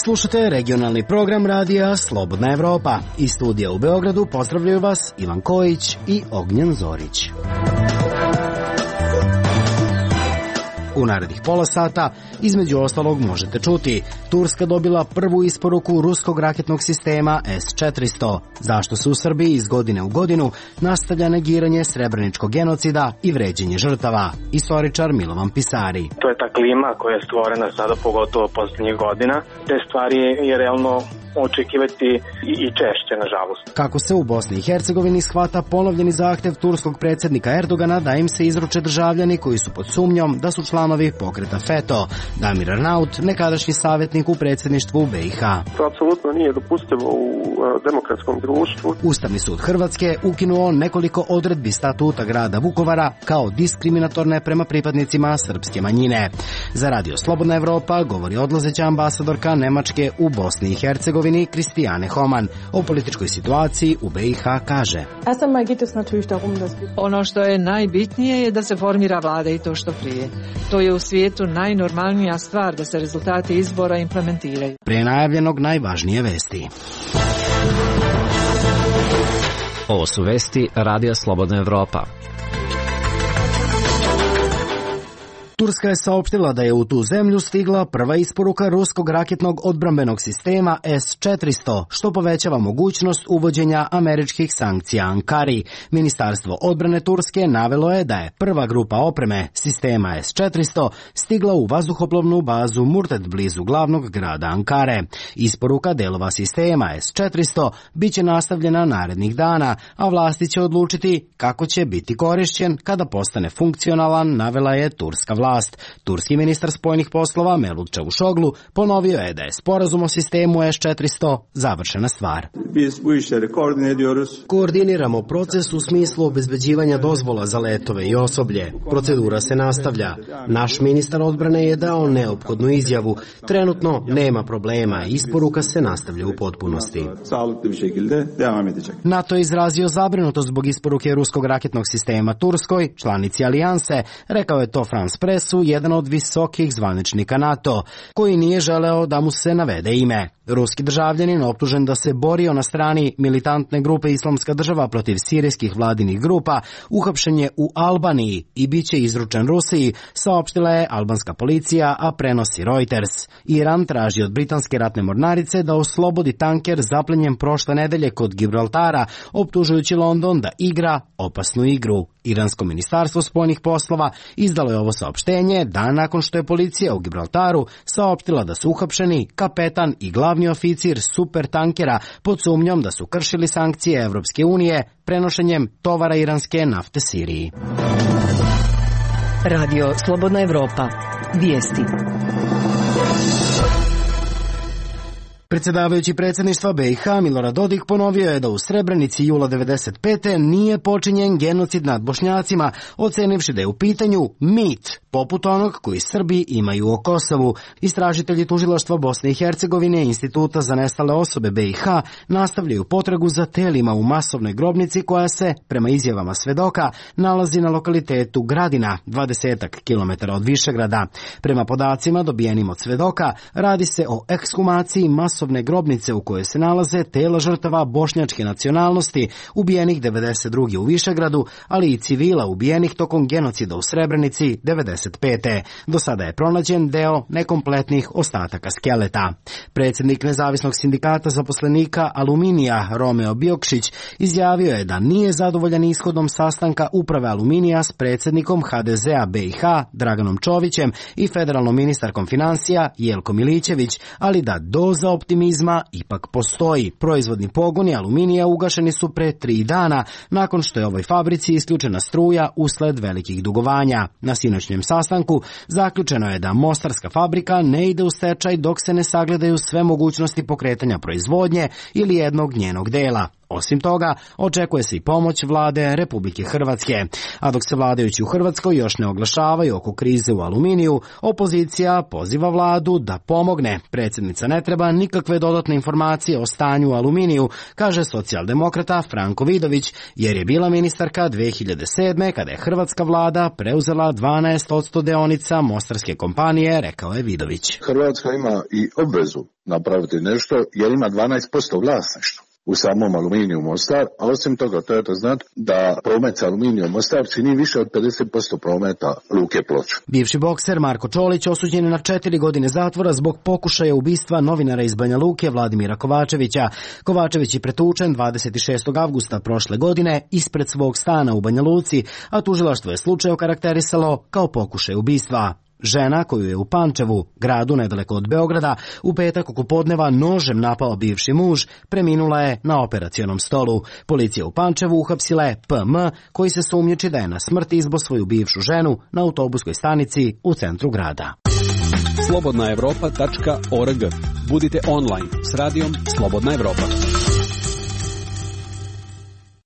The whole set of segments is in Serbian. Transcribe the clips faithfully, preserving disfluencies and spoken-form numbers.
Slušate regionalni program radija Slobodna Evropa. Iz studija u Beogradu pozdravljaju vas Ivan Kojić i Ognjen Zorić. U narednih pola sata, između ostalog, možete čuti: Turska dobila prvu isporuku ruskog raketnog sistema S četiristo. Zašto se u Srbiji iz godine u godinu nastavlja negiranje srebreničkog genocida i vređenje žrtava? Istoričar Milovan Pisari. To je ta klima koja je stvorena sada, pogotovo posljednjih godina. Te stvari je realno očekivati i češće, nažalost. Kako se u Bosni i Hercegovini shvata ponovljeni zahtev turskog predsjednika Erdogana da im se izruče državljani koji su pod sumnjom da su članovi pokreta FETO? Damir Arnaut, nekadašnji savjetnik u predsjedništvu B i H. To apsolutno nije dopustivo u demokratskom društvu. Ustavni sud Hrvatske ukinuo nekoliko odredbi statuta grada Vukovara kao diskriminatorne prema pripadnicima srpske manjine. Za Radio Slobodna Evropa govori odlazeća ambasadorka Nemačke u Bosni i Hercegovini Kristijane Homan. O političkoj situaciji u B i H kaže: Ono što je najbitnije je da se formira vlada i to što prije. To je u svijetu najnormalnija stvar da se rezultati izbora implementiraju. Pre najavljenog najvažnije vesti. Ovo su vesti Radija Slobodna Evropa. Turska je saopštila da je u tu zemlju stigla prva isporuka ruskog raketnog odbrambenog sistema S četiristo, što povećava mogućnost uvođenja američkih sankcija Ankari. Ministarstvo odbrane Turske navelo je da je prva grupa opreme sistema S četiristo stigla u vazduhoplovnu bazu Murted blizu glavnog grada Ankare. Isporuka delova sistema S četiristo biće nastavljena narednih dana, a vlasti će odlučiti kako će biti korišćen kada postane funkcionalan, navela je turska vlast. Turski ministar spoljnih poslova Mevlut Čavuşoglu ponovio je da je sporazum o sistemu S četiristo završena stvar. Koordiniramo proces u smislu obezbeđivanja dozvola za letove i osoblje. Procedura se nastavlja. Naš ministar odbrane je dao neophodnu izjavu. Trenutno nema problema. Isporuka se nastavlja u potpunosti. NATO je izrazio zabrinutost zbog isporuke ruskog raketnog sistema Turskoj, članici alijanse, rekao je to France Press, jedan od visokih zvaničnika NATO, koji nije želeo da mu se navede ime. Ruski državljanin optužen da se borio na strani militantne grupe Islamska država protiv sirijskih vladinih grupa uhapšen je u Albaniji i bit će izručen Rusiji, saopštila je albanska policija, a prenosi Reuters. Iran traži od britanske ratne mornarice da oslobodi tanker zaplenjen prošle nedelje kod Gibraltara, optužujući London da igra opasnu igru. Iransko ministarstvo spoljnih poslova izdalo je ovo saopštenje dan nakon što je policija u Gibraltaru saopštila da su uhapšeni kapetan i glavni oficir supertankera pod sumnjom da su kršili sankcije Evropske unije prenošenjem tovara iranske nafte Siriji. Radio Slobodna Evropa. Vijesti. Predsjedavajući predsjedništva B i H Milorad Dodik ponovio je da u Srebrenici jula devedeset pete nije počinjen genocid nad Bošnjacima, ocenivši da je u pitanju mit, poput onog koji Srbi imaju o Kosovu. Istražitelji tužilaštva Bosne i Hercegovine i Instituta za nestale osobe B i H nastavljaju potragu za telima u masovnoj grobnici koja se, prema izjavama svedoka, nalazi na lokalitetu Gradina, dvadesetak kilometara od Višegrada. Prema podacima dobijenim od svedoka, radi se o ekshumaciji masovne grobnice u kojoj se nalaze tela žrtava bošnjačke nacionalnosti ubijenih devedeset druge u Višegradu, ali i civila ubijenih tokom genocida u Srebrenici devedeset pete. Do sada je pronađen deo nekompletnih ostataka skeleta. Predsjednik Nezavisnog sindikata zaposlenika Aluminija Romeo Biokšić izjavio je da nije zadovoljan ishodom sastanka uprave Aluminija s predsjednikom H D Z-a B i H Draganom Čovićem i federalnom ministarkom financija Jelko Milićević, ali da doza optimizma ipak postoji. Proizvodni pogoni Aluminija ugašeni su pre tri dana, nakon što je ovoj fabrici isključena struja usled velikih dugovanja. Na sinoćnjem sastanku zaključeno je da mostarska fabrika ne ide u stečaj dok se ne sagledaju sve mogućnosti pokretanja proizvodnje ili jednog njenog dela. Osim toga, očekuje se i pomoć vlade Republike Hrvatske. A dok se vladajući u Hrvatskoj još ne oglašavaju oko krize u aluminiju, opozicija poziva vladu da pomogne. Predsjednica ne treba nikakve dodatne informacije o stanju u aluminiju, kaže socijaldemokrata Franko Vidović, jer je bila ministarka dve hiljade sedme kada je hrvatska vlada preuzela dvanaest posto deonica mostarske kompanije, rekao je Vidović. Hrvatska ima i obvezu napraviti nešto jer ima dvanaest posto vlasništva u samom Aluminiju Mostar, a osim toga trebate znati da promet sa Aluminijom Mostar čini više od pedeset posto prometa Luke Ploče. Bivši bokser Marko Čolić osuđen je na četiri godine zatvora zbog pokušaja ubistva novinara iz Banja Luke Vladimira Kovačevića. Kovačević je pretučen dvadeset šestog avgusta prošle godine ispred svog stana u Banja Luci, a tužilaštvo je slučaj okarakterisalo kao pokušaj ubistva. Žena koju je u Pančevu, gradu nedaleko od Beograda, u petak oko podneva nožem napao bivši muž, preminula je na operacionom stolu. Policija u Pančevu uhapsila je P M, koji se sumnjiči da je na smrt izbo svoju bivšu ženu na autobuskoj stanici u centru grada. slobodna evropa tačka org. Budite online s radijom Slobodna Evropa.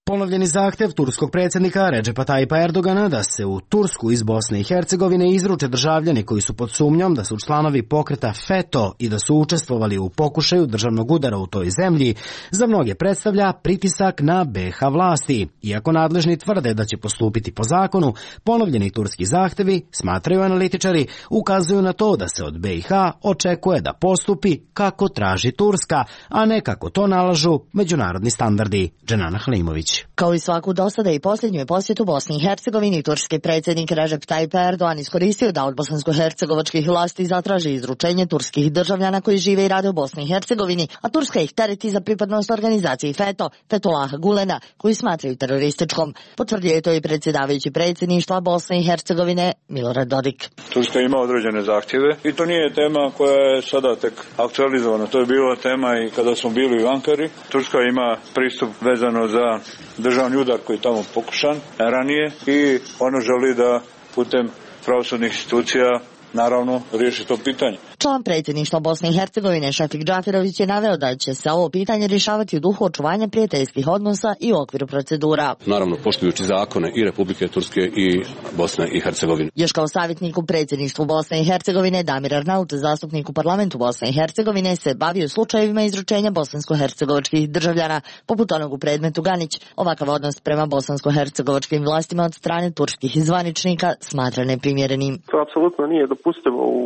Ponovljeni zahtjev turskog predsjednika Redžepa Tajipa Erdogana da se u Tursku iz Bosne i Hercegovine izruče državljani koji su pod sumnjom da su članovi pokreta FETO i da su učestvovali u pokušaju državnog udara u toj zemlji, za mnoge predstavlja pritisak na B iH vlasti. Iako nadležni tvrde da će postupiti po zakonu, ponovljeni turski zahtjevi, smatraju analitičari, ukazuju na to da se od B iH očekuje da postupi kako traži Turska, a ne kako to nalažu međunarodni standardi. Dženana Halimović. Kao i svaku dosada i posljednju posjetu Bosni i Hercegovini, turski predsjednik Recep Tayyip Erdogan iskoristio da od bosansko-hercegovačkih vlasti zatraži izručenje turskih državljana koji žive i rade u Bosni i Hercegovini, a Turska ih tereti za pripadnost organizaciji FETO, Fethullaha Gulena, koji smatraju terorističkom. Potvrdio je to i predsjedavajući predsjedništva Bosne i Hercegovine Milorad Dodik. Turska ima određene zahtjeve i to nije tema koja je sada tek aktualizovana. To je bila tema i kada smo bili u Ankari. Turska ima pristup vezano za državni udar koji je tamo pokušan ranije i ono želi da putem pravosudnih institucija naravno riješi to pitanje. Član predsjedništva Bosne i Hercegovine Šefik Džafirović je naveo da će se ovo pitanje rješavati u duhu očuvanja prijateljskih odnosa i u okviru procedura. Naravno, poštujući zakone i Republike Turske i Bosne i Hercegovine. Još kao savjetnik u predsjedništvu Bosne i Hercegovine Damir Arnaut, zastupnik u parlamentu Bosne i Hercegovine, se bavio slučajevima izručenja bosansko-hercegovačkih državljana, poput onog u predmetu Ganić. Ovakav odnos prema bosansko-hercegovačkim vlastima od strane turskih zvaničnika smatra neprimjerenim. To apsolutno nije dopustivo u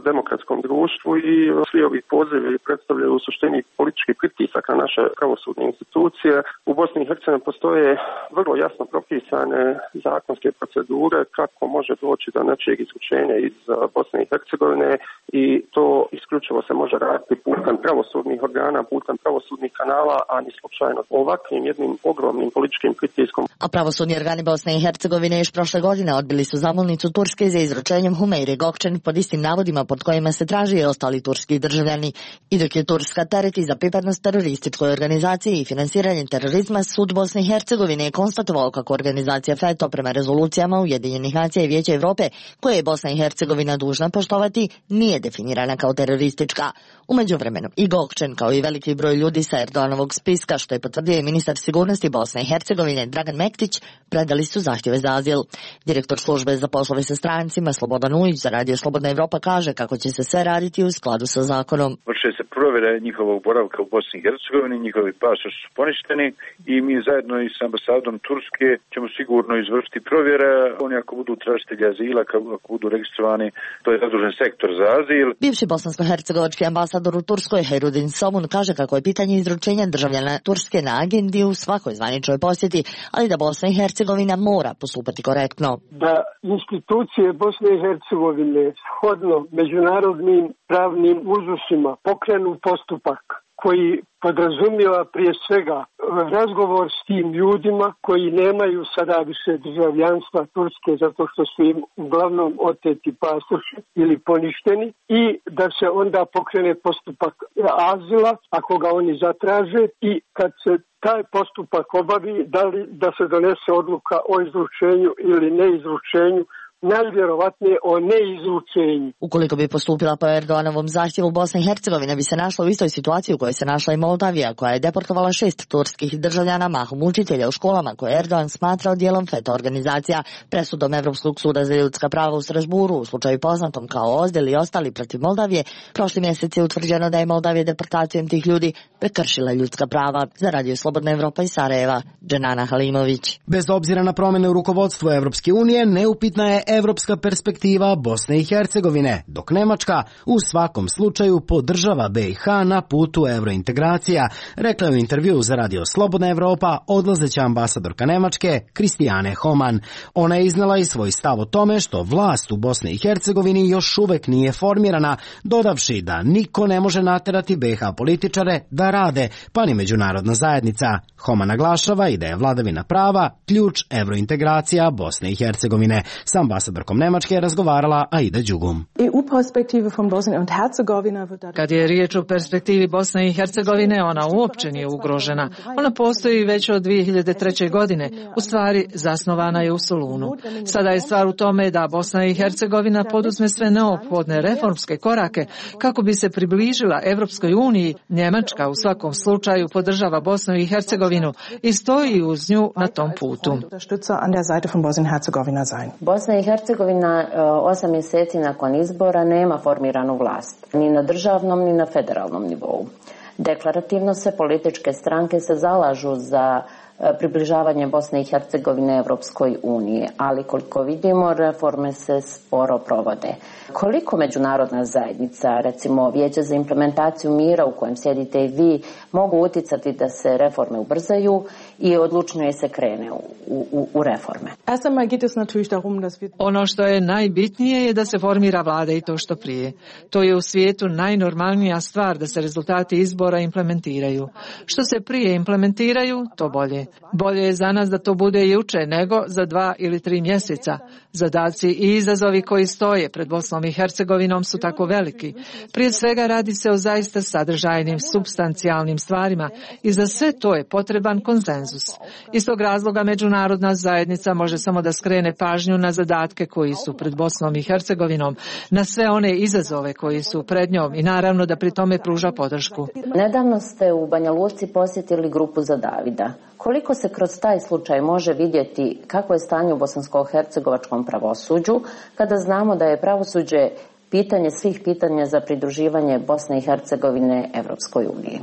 demokratskom društvu i svi ovi pozivi predstavljaju u suštini politički pritisak na naše pravosudne institucije. U Bosni i Hercegovini postoje vrlo jasno propisane zakonske procedure kako može doći do nečijeg izručenja iz Bosne i Hercegovine i to isključivo se može raditi putem pravosudnih organa, putem pravosudnih kanala, a ni slučajno ovakvim jednim ogromnim političkim pritiskom. A pravosudni organi Bosne i Hercegovine još prošle godine odbili su zamolnicu Turske za izručenjem Humeyre Gökçen pod istim navodima pod kojima se traži i ostali turski državljani. I dok je Turska tereti za pripadnost terorističkoj organizaciji i finansiranje terorizma, sud Bosne i Hercegovine je konstatovao kako organizacija FETO prema rezolucijama Ujedinjenih nacija i Vijeća Evrope, koje je Bosna i Hercegovina dužna poštovati, nije definirana kao teroristička. U međuvremenu i Gökçen, kao i veliki broj ljudi sa Erdoganovog spiska, što je potvrdio i ministar sigurnosti Bosne i Hercegovine Dragan Mektić, predali su zahtjeve za azil. Direktor službe za poslove sa strancima Slobodan Ujić za Radio Slobodna Evropa kaže kako će se sve raditi u skladu sa zakonom. Vrše se provjere njihovog boravka u Bosni i Hercegovini, njihovi pasoši su poništeni i mi zajedno i s ambasadom Turske ćemo sigurno izvršiti provjere. Oni ako budu tražitelji azila, ako budu registrovani, to je zadužen sektor za azil. Bivši bosansko-hercegovački ambasador u Turskoj Hajrudin Somun kaže kako je pitanje izručenja državljana Turske na agendi u svakoj zvaničnoj posjeti, ali da Bosna i Hercegovina mora postupati korektno. Da institucije Bosne i Hercegovine shodno međunarodnim pravnim uzusima pokrenu postupak koji podrazumijeva prije svega razgovor s tim ljudima koji nemaju sada više državljanstva Turske zato što su im uglavnom oteti pasoši ili poništeni i da se onda pokrene postupak azila ako ga oni zatraže i kad se taj postupak obavi da li da se donese odluka o izručenju ili neizručenju najvjerovatnije o neizručenju. Ukoliko bi postupila po Erdoganovom zahtjevu, Bosna i Hercegovina bi se našla u istoj situaciji u kojoj se našla i Moldavija, koja je deportovala šest turskih državljana, mahom učitelja u školama koje Erdogan smatrao dijelom FETA organizacija. Presudom Evropskog suda za ljudska prava u Strasburu u slučaju poznatom kao Ozdel i ostali protiv Moldavije, prošli mjesec je utvrđeno da je Moldavija deportacijom tih ljudi prekršila ljudska prava. Za Radio Slobodna Evropa iz Sarajeva, Dženana Halimović. Bez obzira na promjene u rukovodstvu Evropske unije, neupitna je evropska perspektiva Bosne i Hercegovine, dok Nemačka u svakom slučaju podržava B i H na putu evrointegracija, rekla je u intervju za Radio Slobodna Evropa odlazeća ambasadorka Nemačke Kristijane Homan. Ona je iznala i svoj stav o tome što vlast u Bosni i Hercegovini još uvek nije formirana, dodavši da niko ne može naterati B i H političare da rade, pa ni međunarodna zajednica. Homan naglašava i da je vladavina prava ključ evrointegracija Bosne i Hercegovine. S ambasadorkom Nemačke je razgovarala Aida Đugum. Kad je riječ o perspektivi Bosne i Hercegovine, ona uopće nije ugrožena. Ona postoji već od dvije hiljade treće. godine. U stvari, zasnovana je u Solunu. Sada je stvar u tome da Bosna i Hercegovina poduzme sve neophodne reformske korake kako bi se približila Evropskoj uniji. Njemačka u svakom slučaju podržava Bosnu i Hercegovinu i stoji uz nju na tom putu. Bosna i Hercegovina osam mjeseci nakon izbora nema formiranu vlast, ni na državnom ni na federalnom nivou. Deklarativno se političke stranke se zalažu za približavanje Bosne i Hercegovine Evropskoj uniji, ali koliko vidimo, reforme se sporo provode. Koliko međunarodna zajednica, recimo Vijeće za implementaciju mira u kojem sjedite i vi, mogu uticati da se reforme ubrzaju i odlučnije se krene u, u, u reforme? Ono što je najbitnije je da se formira vlada i to što prije. To je u svijetu najnormalnija stvar da se rezultati izbora implementiraju. Što se prije implementiraju, to bolje. Bolje je za nas da to bude juče nego za dva ili tri mjeseca. Zadaci i izazovi koji stoje pred Bosnom i Hercegovinom su tako veliki. Prije svega radi se o zaista sadržajnim, supstancijalnim stvarima i za sve to je potreban konsenzus. Iz tog razloga međunarodna zajednica može samo da skrene pažnju na zadatke koji su pred Bosnom i Hercegovinom, na sve one izazove koji su pred njom i naravno da pri tome pruža podršku. Nedavno ste u Banja Luci posjetili grupu za Davida. Koliko se kroz taj slučaj može vidjeti kako je stanje u bosansko-hercegovačkom pravosuđu, kada znamo da je pravosuđe pitanje svih pitanja za pridruživanje Bosne i Hercegovine Evropskoj uniji?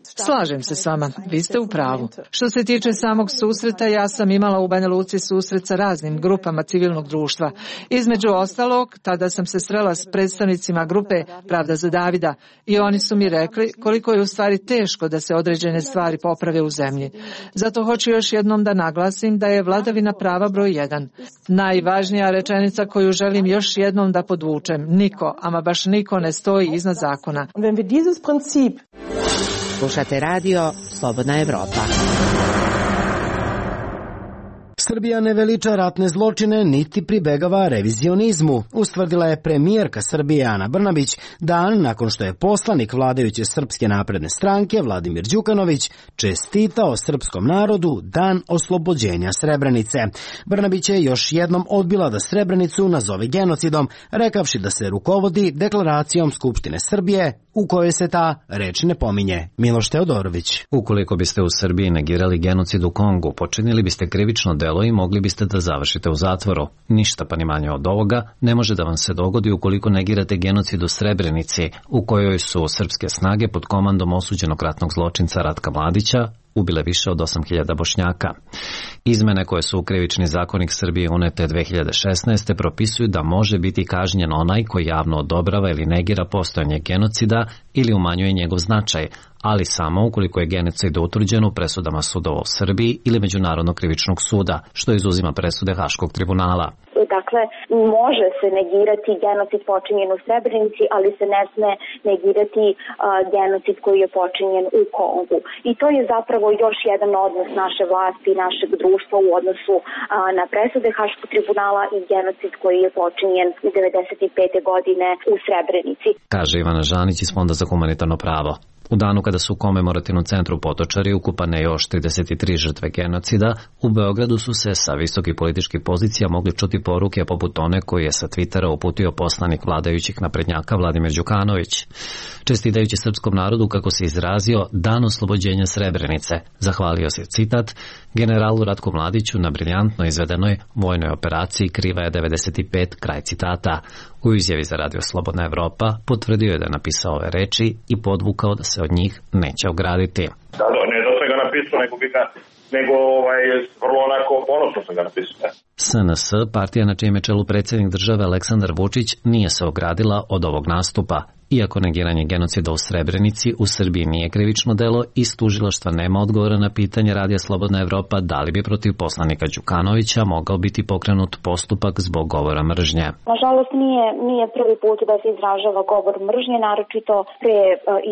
Slažem se s vama, vi ste u pravu. Što se tiče samog susreta, ja sam imala u Banja Luci susret sa raznim grupama civilnog društva. Između ostalog, tada sam se srela s predstavnicima grupe Pravda za Davida i oni su mi rekli koliko je u stvari teško da se određene stvari poprave u zemlji. Zato hoću još jednom da naglasim da je vladavina prava broj jedan. Najvažnija rečenica koju želim još jednom da podvučem, niko, ama baš niko ne stoji iznad zakona. Slušate radio Slobodna Evropa. Srbija ne veliča ratne zločine niti pribegava revizionizmu, ustvrdila je premijerka Srbije Ana Brnabić dan nakon što je poslanik vladajuće Srpske napredne stranke Vladimir Đukanović čestitao srpskom narodu dan oslobođenja Srebrenice. Brnabić je još jednom odbila da Srebrenicu nazove genocidom, rekavši da se rukovodi deklaracijom Skupštine Srbije u kojoj se ta reč ne pominje. Miloš Teodorović. Ukoliko biste u Srbiji negirali genocid u Kongu, počinili biste krivično delo i mogli biste da završite u zatvoru. Ništa pa ni manje od ovoga ne može da vam se dogodi ukoliko negirate genocid u Srebrenici, u kojoj su srpske snage pod komandom osuđenog ratnog zločinca Ratka Mladića ubile više od osam hiljada Bošnjaka. Izmene koje su u krivični zakonik Srbije unete dve hiljade šesnaeste. propisuju da može biti kažnjen onaj koji javno odobrava ili negira postojanje genocida ili umanjuje njegov značaj, ali samo ukoliko je genocid utvrđen u presudama sudova u Srbiji ili Međunarodnog krivičnog suda, što izuzima presude Haškog tribunala. Dakle, može se negirati genocid počinjen u Srebrenici, ali se ne sme negirati uh, genocid koji je počinjen u Kongu. I to je zapravo još jedan odnos naše vlasti i našeg društva u odnosu uh, na presude Haškog tribunala i genocid koji je počinjen devedeset pete. godine u Srebrenici. Kaže Ivana Žanić iz Fonda za humanitarno pravo. U danu kada su u komemorativnom centru Potočari ukupane još trideset tri žrtve genocida, u Beogradu su se sa visokih političkih pozicija mogli čuti poruke poput one koje je sa Twittera uputio poslanik vladajućih naprednjaka Vladimir Đukanović. Čestitajući srpskom narodu, kako se izrazio, dan oslobođenja Srebrenice, zahvalio se, citat, generalu Ratku Mladiću na briljantno izvedenoj vojnoj operaciji Kriva je devedeset pet, kraj citata. U izjavi za Radio Slobodna Evropa potvrdio je da je napisao ove reči i podvukao da se od njih neće ograditi. Da, ne da sam ga napisao, nego bi ga, nego ovaj, vrlo onako ponosno sam ga napisao. S N S, partija na čijem je čelu predsjednik države Aleksandar Vučić, nije se ogradila od ovog nastupa. Iako negiranje genocida u Srebrenici u Srbiji nije krivično delo, iz tužilaštva nema odgovora na pitanje Radija Slobodna Evropa da li bi protiv poslanika Đukanovića mogao biti pokrenut postupak zbog govora mržnje. Nažalost nije, nije prvi put da se izražava govor mržnje, naročito pre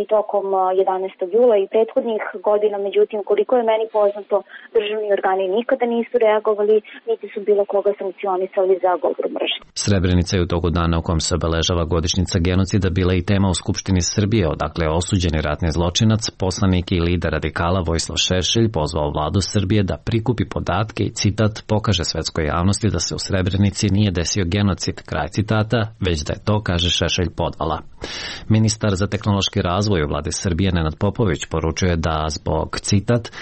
i tokom jedanaestog jula i prethodnih godina, međutim koliko je meni poznato, državni organi nikada nisu reagovali, niti su bilo koga sankcionisali za govor mržnje. Srebrenica je u toku dana u kojem se obeležava godišnjica genocida bila i tema u Skupštini Srbije, odakle je osuđeni ratni zločinac, poslanik i lider radikala Vojislav Šešelj pozvao vladu Srbije da prikupi podatke i, citat, pokaže svetskoj javnosti da se u Srebrenici nije desio genocid, kraj citata, već da je to, kaže Šešelj, podvala. Ministar za tehnološki razvoj u vladi Srbije Nenad Popović poručuje da zbog, citat,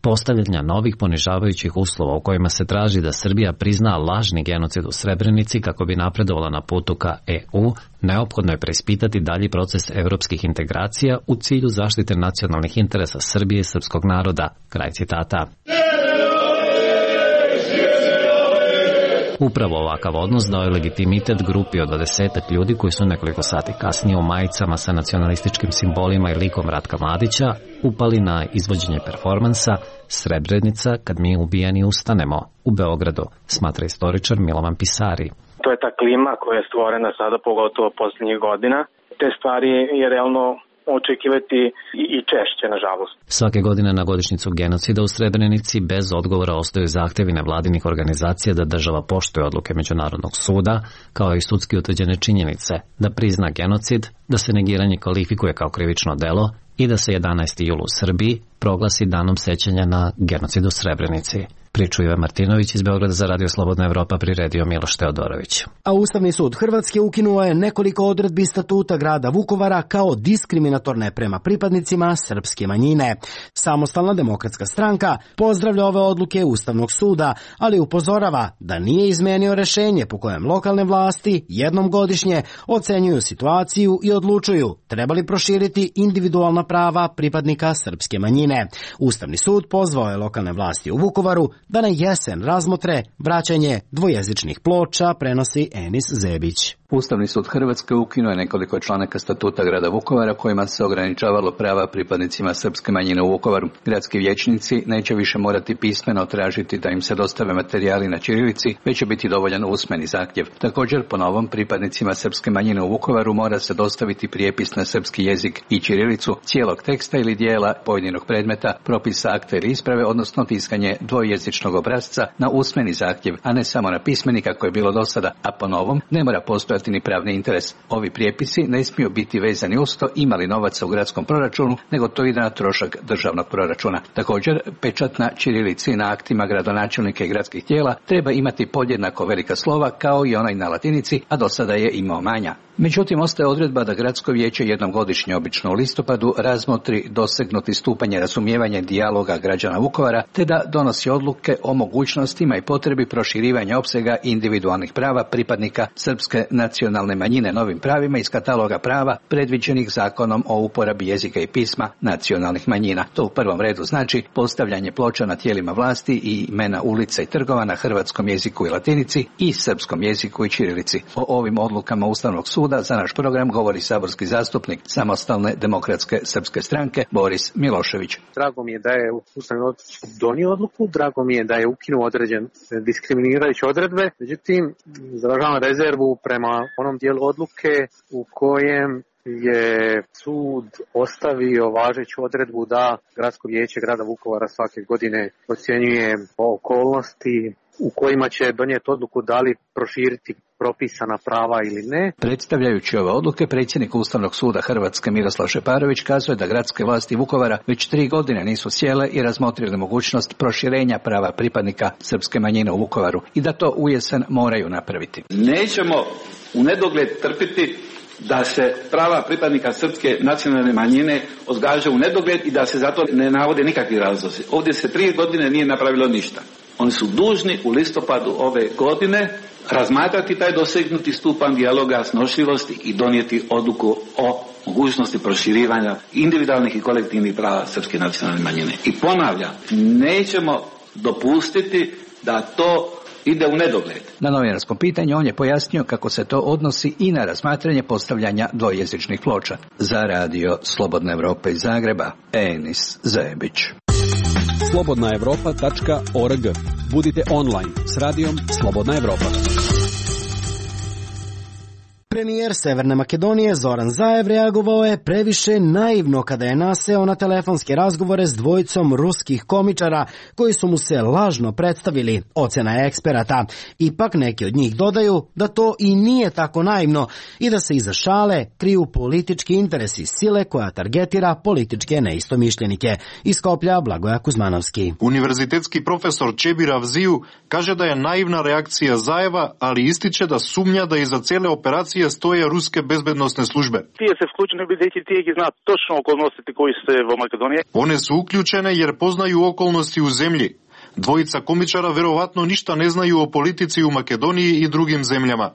postavljanja novih ponižavajućih uslova u kojima se traži da Srbija prizna lažni genocid u Srebrenici kako bi napredovala na putu ka E U, neophodno je preispitati dalji proces evropskih integracija u cilju zaštite nacionalnih interesa Srbije i srpskog naroda. Kraj citata. Upravo ovakav odnos dao je legitimitet grupi od dvadesetak ljudi koji su nekoliko sati kasnije u majicama sa nacionalističkim simbolima i likom Ratka Mladića upali na izvođenje performansa Srebrenica kad mi ubijeni ustanemo u Beogradu, smatra istoričar Milovan Pisari. To je ta klima koja je stvorena sada, pogotovo posljednjih godina. Te stvari je realno očekivati i češće, nažalost. Svake godine na godišnjicu genocida u Srebrenici bez odgovora ostaju zahtjevi nevladinih organizacija da država poštuje odluke Međunarodnog suda, kao i sudski utvrđene činjenice, da prizna genocid, da se negiranje kvalifikuje kao krivično delo i da se jedanaesti jul u Srbiji proglasi danom sećanja na genocid u Srebrenici. Priču Ive Martinović iz Beograda za Radio Slobodna Evropa priredio Miloš Teodorović. A Ustavni sud Hrvatske ukinuo je nekoliko odredbi statuta grada Vukovara kao diskriminatorne prema pripadnicima srpske manjine. Samostalna demokratska stranka pozdravlja ove odluke Ustavnog suda, ali upozorava da nije izmenio rešenje po kojem lokalne vlasti jednom godišnje ocenjuju situaciju i odlučuju treba li proširiti individualna prava pripadnika srpske manjine. Ustavni sud pozvao je lokalne vlasti u Vukovaru da na jesen razmotre vraćanje dvojezičnih ploča, prenosi Enis Zebić. Ustavni sud Hrvatske ukinuo je nekoliko članaka statuta grada Vukovara kojima se ograničavalo prava pripadnicima srpske manjine u Vukovaru. Gradski vijećnici neće više morati pismeno tražiti da im se dostave materijali na ćirilici, već će biti dovoljan usmeni zahtjev. Također, po novom, pripadnicima srpske manjine u Vukovaru mora se dostaviti prijepis na srpski jezik i ćirilicu cijelog teksta ili dijela pojedinog predmeta, propisa, akta ili isprave, odnosno tiskanje dvojezičnog obrasca na usmeni zahtjev, a ne samo na pismeni kako je bilo do sada, a po novom ne mora postojati ni pravni interes. Ovi prijepisi ne smiju biti vezani uz to ima li novaca u gradskom proračunu, nego to ide na trošak državnog proračuna. Također, pečat na ćirilici na aktima gradonačelnika i gradskih tijela treba imati podjednako velika slova kao i onaj na latinici, a do sada je imao manja. Međutim, ostaje odredba da gradsko vijeće jednom godišnje, obično u listopadu, razmotri dosegnuti stupanje razumijevanja i dijaloga građana Vukovara, te da donosi odluke o mogućnostima i potrebi proširivanja opsega individualnih prava pripadnika srpske nacionalne manjine novim pravima iz kataloga prava predviđenih zakonom o uporabi jezika i pisma nacionalnih manjina. To u prvom redu znači postavljanje ploča na tijelima vlasti i imena ulica i trgova na hrvatskom jeziku i latinici i srpskom jeziku i ćirilici. O ovim odlukama Ustavnog suda za naš program govori saborski zastupnik Samostalne demokratske srpske stranke Boris Milošević. Drago mi je da je Ustavni sud donio odluku, drago mi je da je ukinuo određen diskriminirajuće odredbe, međutim izražavam rezervu prema onom dijelu odluke u kojem je sud ostavio važeću odredbu da Gradsko vijeće grada Vukovara svake godine ocjenjuje okolnosti u kojima će donijeti odluku da li proširiti propisana prava ili ne. Predstavljajući ove odluke, predsjednik Ustavnog suda Hrvatske Miroslav Šeparović kazuje da gradske vlasti Vukovara već tri godine nisu sjele i razmotrile mogućnost proširenja prava pripadnika srpske manjine u Vukovaru i da to u jesen moraju napraviti. Nećemo u nedogled trpiti da se prava pripadnika srpske nacionalne manjine odgađaju u nedogled i da se zato ne navode nikakvi razlozi. Ovdje se tri godine nije napravilo ništa. Oni su dužni u listopadu ove godine razmatrati taj dosegnuti stupanj dijaloga, snošljivosti i donijeti odluku o mogućnosti proširivanja individualnih i kolektivnih prava srpske nacionalne manjine. I ponavljam, nećemo dopustiti da to ide u nedogled. Na novinarskom pitanju on je pojasnio kako se to odnosi i na razmatranje postavljanja dvojezičnih ploča. Za radio Slobodna Evropa iz Zagreba, Enis Zebić. slobodna evropa tačka org. Budite online s radijom Slobodna Evropa. Premijer Severne Makedonije Zoran Zaev reagovao je previše naivno kada je naseo na telefonske razgovore s dvojicom ruskih komičara koji su mu se lažno predstavili, ocena je eksperata. Ipak neki od njih dodaju da to i nije tako naivno i da se iza šale kriju politički interesi sile koja targetira političke neistomišljenike. Iz Skoplja Blagoja Kuzmanovski. Univerzitetski profesor Čebir Avziju kaže da je naivna reakcija Zaeva, ali ističe da sumnja da iza cele operacije stoje ruske bezbednosne službe. Tije se vključene biti tije ki zna točno okolnosti koji se u Makedoniji. One su uključene jer poznaju okolnosti u zemlji. Dvojica komičara verovatno ništa ne znaju o politici u Makedoniji i drugim zemljama.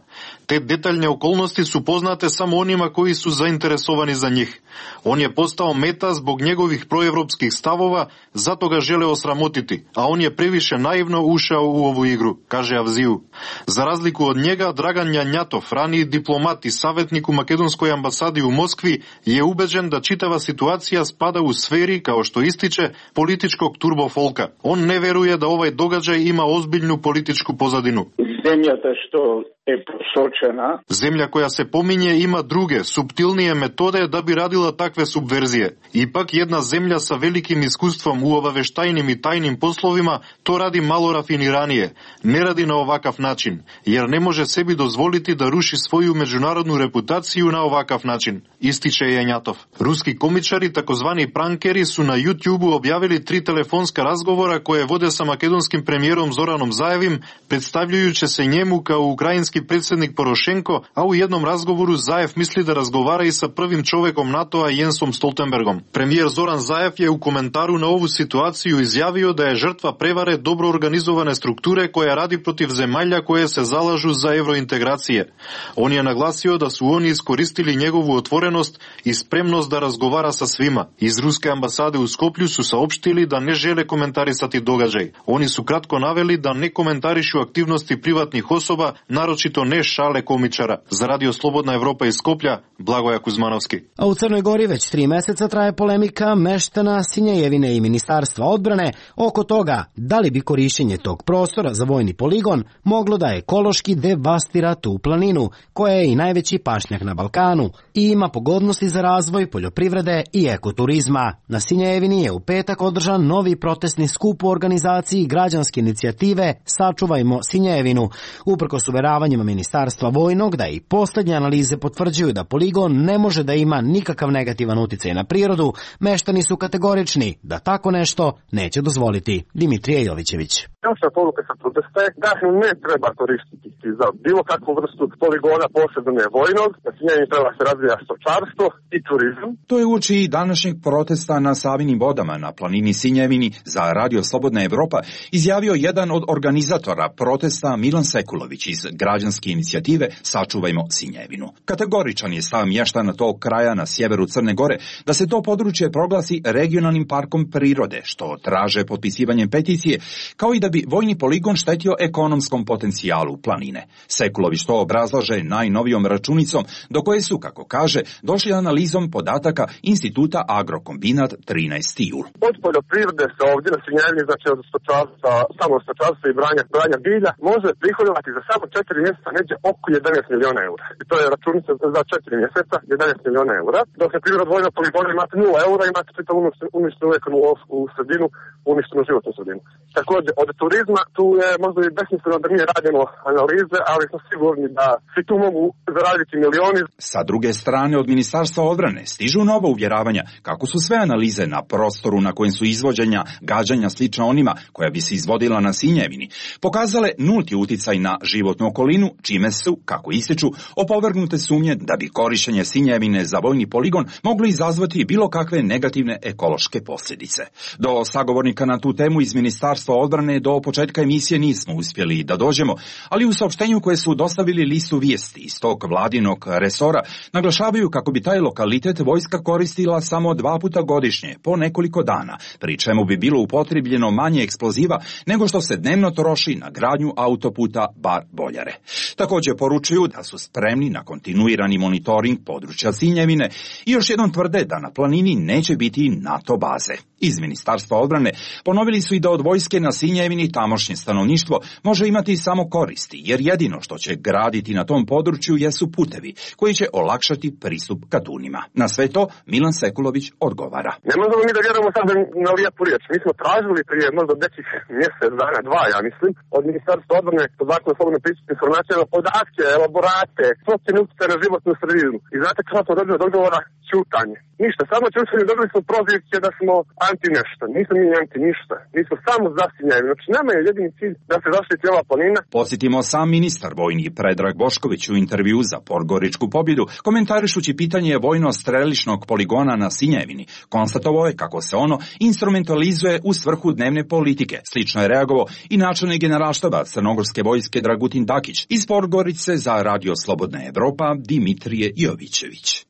Te detaljne okolnosti su poznate samo onima koji su zainteresovani za njih. On je postao meta zbog njegovih proevropskih stavova, zato ga žele osramotiti, a on je previše naivno ušao u ovu igru, kaže Avziju. Za razliku od njega, Dragan Janjatov, raniji diplomat i savjetnik u makedonskoj ambasadi u Moskvi, je ubeđen da čitava situacija spada u sferi, kao što ističe, političkog turbofolka. On ne veruje da ovaj događaj ima ozbiljnu političku pozadinu. Zemljata što je prošočena. Zemlja koja se pominje ima druge, suptilnije metode da bi radila takve subverzije. Ipak jedna zemlja sa velikim iskustvom u obaveštajnim i tajnim poslovima to radi malo rafiniranije. Ne radi na ovakav način, jer ne može sebi dozvoliti da ruši svoju međunarodnu reputaciju na ovakav način, ističe Janjatov. Ruski komičari, takozvani prankeri, su na YouTubeu objavili tri telefonska razgovora koje vode sa makedonskim premijerom Zoranom Zaevim, predstavljajući se njemu kao ukrajinski predsjednik Porošenko, a u jednom razgovoru Zaev misli da razgovara i sa prvim čovekom NATO-a Jensom Stoltenbergom. Premijer Zoran Zaev je u komentaru na ovu situaciju izjavio da je žrtva prevare dobro organizovane strukture koja radi protiv zemalja koje se zalažu za evrointegracije. On je naglasio da su oni iskoristili njegovu otvorenost i spremnost da razgovara sa svima. Iz ruske ambasade u Skoplju su saopštili da ne žele komentarisati događaj. Oni su kratko naveli da ne komentarišu aktivnosti privatnih osoba, naročito ne šale komičara. Za radio Slobodna Evropa iz Skoplja, Blagoja Kuzmanovski. A u Crnoj Gori već tri meseca traje polemika meštana Sinjejevine i Ministarstva odbrane oko toga da li bi korišćenje tog prostora za vojni poligon moglo da ekološki devastira tu planinu, koja je i najveći pašnjak na Balkanu i ima pogodnosti za razvoj poljoprivrede i ekoturizma. Na Sinjejevini je u petak održan novi protestni skup u organizaciji građanske inicijative Sačuvajmo Sinjejevinu, uprkos uveravanjima Ministarstva vojnog da i posljednje analize potvrđuju da poligon ne može da ima nikakav negativan uticaj na prirodu. Meštani su kategorični da tako nešto neće dozvoliti. Dimitrije Jovićević. Naša poruka sa protesta je da ne treba koristiti za bilo kakvu vrstu poligona, posebno ne vojnog, da se njeni treba se razvija stočarstvo i turizam. To je uoči današnjeg protesta na Savinim vodama na planini Sinjevini za radio Slobodna Evropa izjavio jedan od organizatora protesta Milan Sekulović iz građanske inicijative Sačuvajmo Sinjevinu. Kategoričan je stav mještana tog kraja na sjeveru Crne Gore da se to područje proglasi regionalnim parkom prirode, što traže potpisivanjem peticije, kao i da bi vojni poligon štetio ekonomskom potencijalu planine. Sekulović to obrazlaže najnovijom računicom do koje su, kako kaže, došli analizom podataka Instituta Agrokombinat trinaesti jul. Od poljoprivrede se ovdje na Sinjevini, znači od stočarstva, samo stočarstva i branja, branja bilja, može prihodovati za samo četiri mjeseca neđe oko jedanaest miliona eura. I to je računica za četiri mjeseca, jedanaest miliona eura. Dok je priroda vojna poligona imate nula eura, imate čitav uništenu ekonu u sredinu, uništenu životnu sredinu. Također, od turizma, tu je možda i besmisleno da nije radimo analize, ali smo sigurni da svi tu mogu zaraditi milioni. Sa druge strane, od Ministarstva odbrane stižu nova uvjeravanja kako su sve analize na prostoru na kojem su izvođenja gađanja slična onima koja bi se izvodila na Sinjevini pokazale nulti uticaj na životnu okolinu, čime su, kako ističu, opovrgnute sumnje da bi korištenje Sinjevine za vojni poligon moglo izazvati bilo kakve negativne ekološke posljedice. Do sagovornika na tu temu iz Ministarstva odbrane do početka emisije nismo uspjeli da dođemo, ali u saopštenju koje su dostavili listu vijesti iz tog vladinog resora naglašavaju kako bi taj lokalitet vojska koristila samo dva puta godišnje, po nekoliko dana, pri čemu bi bilo upotrebljeno manje eksploziva nego što se dnevno troši na gradnju autoputa Bar-Boljare. Također poručuju da su spremni na kontinuirani monitoring područja Sinjevine i još jednom tvrde da na planini neće biti NATO baze. Iz Ministarstva odbrane ponovili su i da od vojske na Sinjevini tamošnje stanovništvo može imati samo koristi, jer jedino što će graditi na tom području jesu putevi koji će olakšati pristup ka Dunima. Na sve to Milan Sekulović odgovara. Ne možemo mi da vjerujemo sad na lijepu riječ. Mi smo tražili prije možda nekih mjesec dana, dva, ja mislim, od Ministarstva odbrane pod zakonu o slobodnom pristupu informacijama podatke, elaborate, procjene utjecaja na životnu sredinu. I znate kako smo dobili od odgovora? Ćutanje. Ništa, samo ćutanje, dobili smo prozivke da smo anti nešto. Nismo mi anti ništa. Mi smo samo za Sinjevinu. Znači, nama je jedini cilj da se zaštiti ova planina. Podsjetimo, sam ministar vojni Predrag Bošković u intervju za Podgoričku pobjedu, komentarišući pitanje vojno-strelišnog poligona na Sinjevini, konstatovao je kako se ono instrumentalizuje u svrhu dnevne politike. Slično je reagovao i načelnik generalštaba Crnogorske vojske Dragutin Dakić iz Podgorice za Radio Slobodna Evropa Dimitrije Jovićević.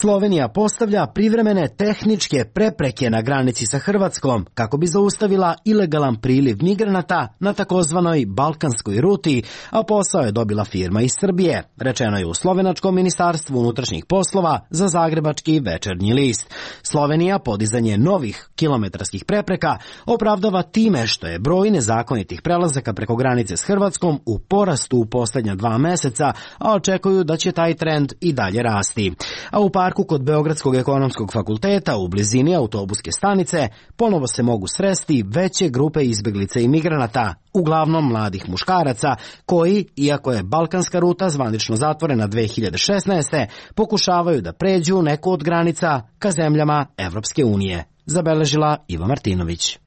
Slovenija postavlja privremene tehničke prepreke na granici sa Hrvatskom kako bi zaustavila ilegalan priliv migranata na takozvanoj balkanskoj ruti, a posao je dobila firma iz Srbije, rečeno je u Slovenačkom ministarstvu unutrašnjih poslova za zagrebački Večernji list. Slovenija podizanje novih kilometarskih prepreka opravdava time što je broj nezakonitih prelazaka preko granice s Hrvatskom u porastu u posljednja dva meseca, a očekuju da će taj trend i dalje rasti. A u parku kod Beogradskog ekonomskog fakulteta u blizini autobuske stanice ponovo se mogu sresti veće grupe izbjeglica i migranata, uglavnom mladih muškaraca, koji, iako je balkanska ruta zvanično zatvorena dve hiljade šesnaeste. pokušavaju da pređu neku od granica ka zemljama Evropske unije. Zabeležila Iva Martinović.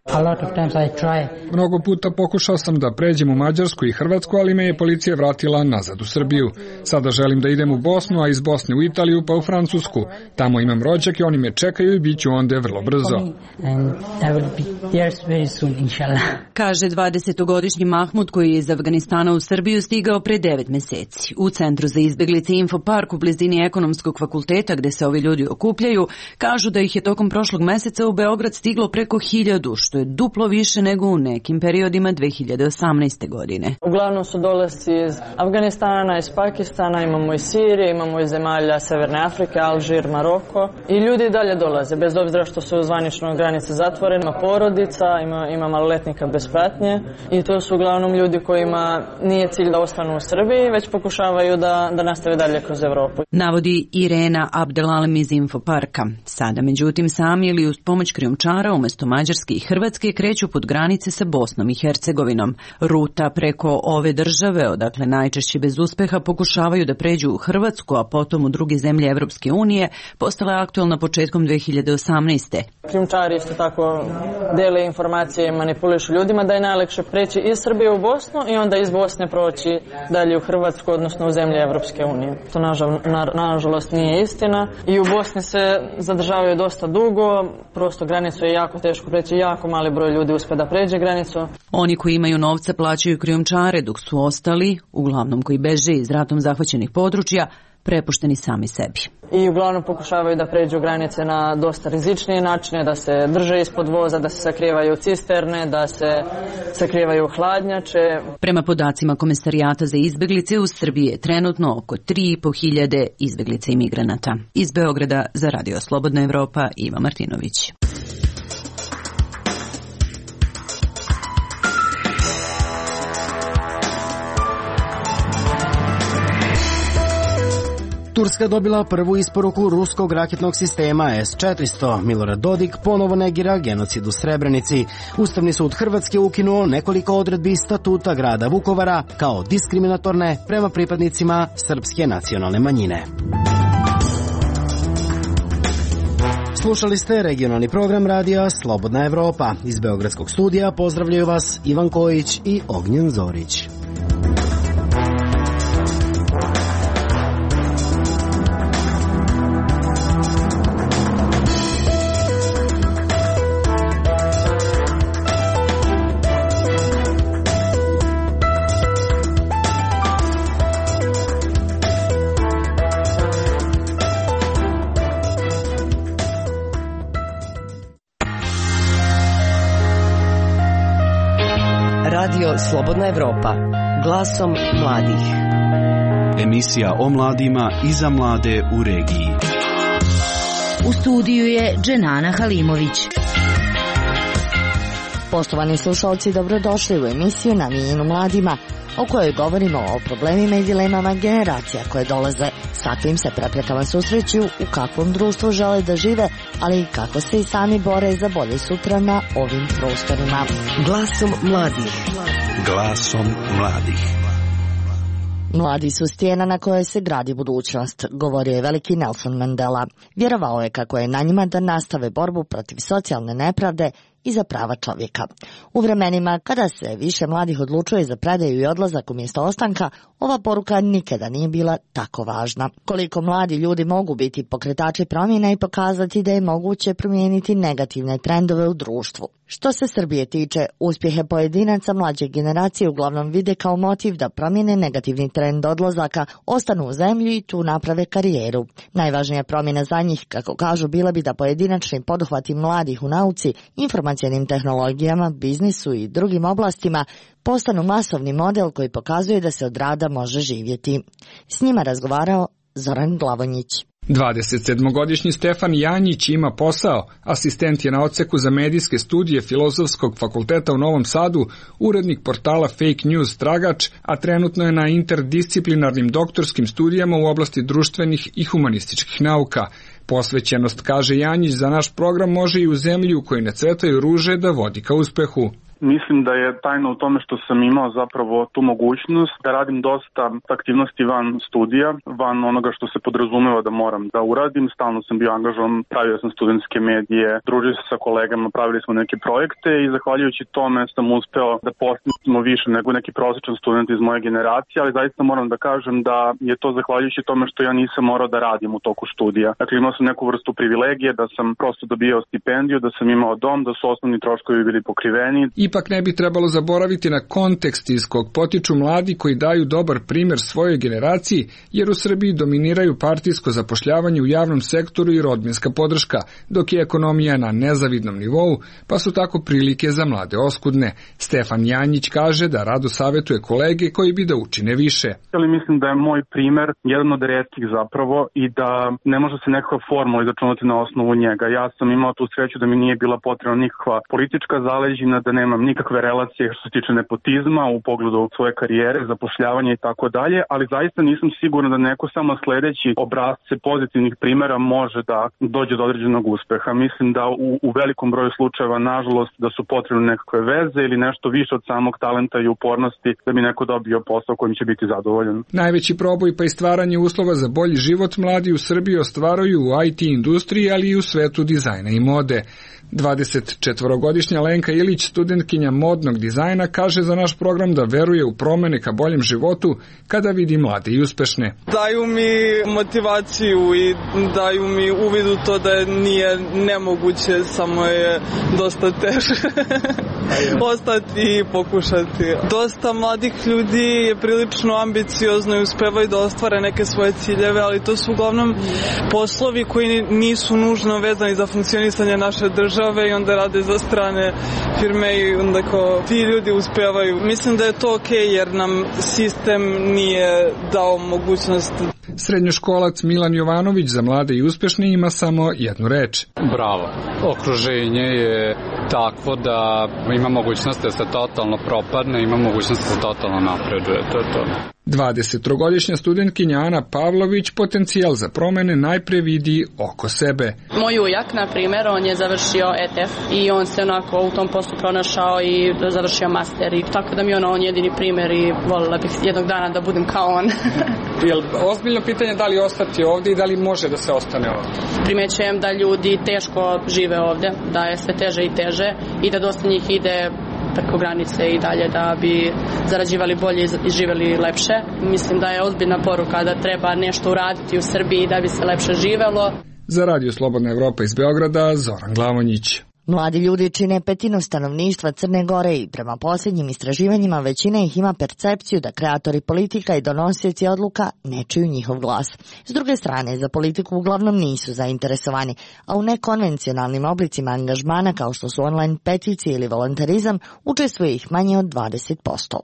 Mnogo puta pokušao sam da pređem u Mađarsku i Hrvatsku, ali me je policija vratila nazad u Srbiju. Sada želim da idem u Bosnu, a iz Bosne u Italiju pa u Francusku. Tamo imam rođake, oni me čekaju i bit ću onda vrlo brzo. Kaže dvadesetogodišnji Mahmud koji je iz Afganistana u Srbiju stigao pre devet meseci. U Centru za izbjeglice Infopark u blizini ekonomskog fakulteta gde se ovi ljudi okupljaju, kažu da ih je tokom prošlog meseca u Beograd stiglo preko hiljadu, što je duplo više nego u nekim periodima dve hiljade osamnaeste. godine. Uglavnom su dolasci iz Afganistana, iz Pakistana, imamo iz Sirije, imamo iz zemalja Severne Afrike, Alžir, Maroko i ljudi dalje dolaze, bez obzira što su zvanično granice zatvorene, ima porodica, ima, ima maloletnika bez pratnje i to su uglavnom ljudi kojima nije cilj da ostanu u Srbiji, već pokušavaju da, da nastave dalje kroz Evropu. Navodi Irena Abdelalem iz Infoparka. Sada, međutim, sami ili uz pomoć krijumčara umjesto Mađarske i Hrvatske kreću pod granice sa Bosnom i Hercegovinom. Ruta preko ove države, odakle najčešće bez uspeha pokušavaju da pređu u Hrvatsku, a potom u druge zemlje Evropske unije, postala je aktualna početkom dve hiljade osamnaeste. Krijumčari isto tako dele informacije i manipulišu ljudima da je najlakše preći iz Srbije u Bosnu i onda iz Bosne proći dalje u Hrvatsku, odnosno u zemlje Evropske unije. To nažal, na, nažalost nije istina i u Bosni se zadržavaju dosta dugo, prosto granicu je jako teško preći, jako mali broj ljudi uspe da pređe granicu. Oni koji imaju novca plaćaju krijumčare, dok su ostali, uglavnom koji beže iz ratom zahvaćenih područja, prepušteni sami sebi. I uglavnom pokušavaju da pređu granice na dosta rizičnije načine, da se drže ispod voza, da se sakrivaju cisterne, da se sakrivaju hladnjače. Prema podacima Komesarijata za izbjeglice, u Srbiji je trenutno oko tri i po hiljade izbjeglica i migranata. Iz Beograda za Radio Slobodna Evropa, Iva Martinović. Turska dobila prvu isporuku ruskog raketnog sistema S četiristo. Milorad Dodik ponovo negira genocid u Srebrenici. Ustavni sud Hrvatske ukinuo nekoliko odredbi statuta grada Vukovara kao diskriminatorne prema pripadnicima srpske nacionalne manjine. Slušali ste regionalni program radija Slobodna Evropa. Iz Beogradskog studija pozdravljaju vas Ivan Kojić i Ognjen Zorić. Radio Slobodna Evropa, glasom mladih. Emisija o mladima i za mlade u regiji. U studiju je Dženana Halimović. Poštovani slušalci, dobrodošli u emisiju namijenjenu mladima, o kojoj govorimo o problemima i dilemama generacija koje dolaze, s kakvim se preprekama susreću, u kakvom društvu žele da žive, ali i kako se i sami bore za bolje sutra na ovim prostorima. Glasom mladih. Glasom mladih. Mladi su stijena na kojoj se gradi budućnost, govorio je veliki Nelson Mandela. Vjerovao je kako je na njima da nastave borbu protiv socijalne nepravde i za prava čovjeka. U vremenima kada se više mladih odlučuje za predaju i odlazak umjesto ostanka, ova poruka nikada nije bila tako važna. Koliko mladi ljudi mogu biti pokretači promjena i pokazati da je moguće promijeniti negativne trendove u društvu. Što se Srbije tiče, uspjehe pojedinaca mlađe generacije uglavnom vide kao motiv da promijene negativni trend odlazaka, ostanu u zemlji i tu naprave karijeru. Najvažnija promjena za njih, kako kažu, bila bi da pojedinačni poduhvati mladih u nauci, informacionim tehnologijama, biznisu i drugim oblastima postanu masovni model koji pokazuje da se od rada može živjeti. S njima razgovarao Zoran Glavonjić. dvadesetsedmogodišnji Stefan Janjić ima posao, asistent je na odseku za medijske studije Filozofskog fakulteta u Novom Sadu, urednik portala Fake News Tragač, a trenutno je na interdisciplinarnim doktorskim studijama u oblasti društvenih i humanističkih nauka. Posvećenost, kaže Janjić, za naš program može i u zemlji u kojoj ne cvetaju ruže da vodi ka uspehu. Mislim da je tajna u tome što sam imao zapravo tu mogućnost da radim dosta aktivnosti van studija, van onoga što se podrazumeva da moram da uradim. Stalno sam bio angažovan, pravio sam studentske medije, družio se sa kolegama, pravili smo neke projekte i zahvaljujući tome sam uspeo da postignemo više nego neki prosječan student iz moje generacije, ali zaista moram da kažem da je to zahvaljujući tome što ja nisam morao da radim u toku studija. Dakle, imao sam neku vrstu privilegije da sam prosto dobijao stipendiju, da sam imao dom, da su osnovni troškovi bili pokriveni. Ipak ne bi trebalo zaboraviti na kontekst iz kog potiču mladi koji daju dobar primjer svojoj generaciji, jer u Srbiji dominiraju partijsko zapošljavanje u javnom sektoru i rodbinska podrška, dok je ekonomija na nezavidnom nivou, pa su tako prilike za mlade oskudne. Stefan Janjić kaže da rado savjetuje kolege koji bi da učine više. Ali mislim da je moj primjer jedan od retkih zapravo i da ne može se nekakva formula izračunati na osnovu njega. Ja sam imao tu sreću da mi nije bila potrebna nikakva politička zaleđina, da nemam nikakve relacije što se tiče nepotizma u pogledu svoje karijere, zapošljavanja i tako dalje, ali zaista nisam siguran da neko samo sledeći obrazce pozitivnih primjera može da dođe do određenog uspeha. Mislim da u, u velikom broju slučajeva, nažalost, da su potrebne nekakve veze ili nešto više od samog talenta i upornosti da bi neko dobio posao kojim će biti zadovoljan. Najveći proboj pa i stvaranje uslova za bolji život mladi u Srbiji ostvaruju u I T industriji, ali i u svetu dizajna i mode. dvadesetčetvorogodišnja Lenka Ilić, studentkinja modnog dizajna, kaže za naš program da veruje u promene ka boljem životu kada vidi mlade i uspešne. Daju mi motivaciju i daju mi uvid u to da nije nemoguće, samo je dosta teže ostati i pokušati. Dosta mladih ljudi je prilično ambiciozno i uspevaju da ostvare neke svoje ciljeve, ali to su uglavnom poslovi koji nisu nužno vezani za funkcionisanje naše države i onda rade za strane firme i onda kao ti ljudi uspevaju. Mislim da je to okej jer nam sistem nije dao mogućnost. Srednjoškolac Milan Jovanović za mlade i uspešne ima samo jednu reč. Bravo. Okruženje je takvo da Ima mogućnost da se totalno propadne, ima mogućnost da se totalno napreduje, to je to. dvadesettrogodišnja studentkinja Ana Pavlović potencijal za promene najpre vidi oko sebe. Moj ujak, na primjer, on je završio E T F i on se onako u tom poslu pronašao i završio master i tako da mi je ono on jedini primjer i voljela bih jednog dana da budem kao on. Jel ozbiljno pitanje da li ostati ovdje i da li može da se ostane ovdje? Primećujem da ljudi teško žive ovdje, da je sve teže i teže i da dosta njih ide preko granice i dalje da bi zarađivali bolje i živjeli lepše. Mislim da je ozbiljna poruka da treba nešto uraditi u Srbiji da bi se lepše živelo. Za Radio Slobodna Evropa iz Beograda, Zoran Glavonjić. Mladi ljudi čine petinu stanovništva Crne Gore i prema posljednjim istraživanjima većina ih ima percepciju da kreatori politika i donosioci odluka ne čuju njihov glas. S druge strane, za politiku uglavnom nisu zainteresovani, a u nekonvencionalnim oblicima angažmana kao što su online peticije ili volontarizam učestvuje ih manje od dvadeset posto.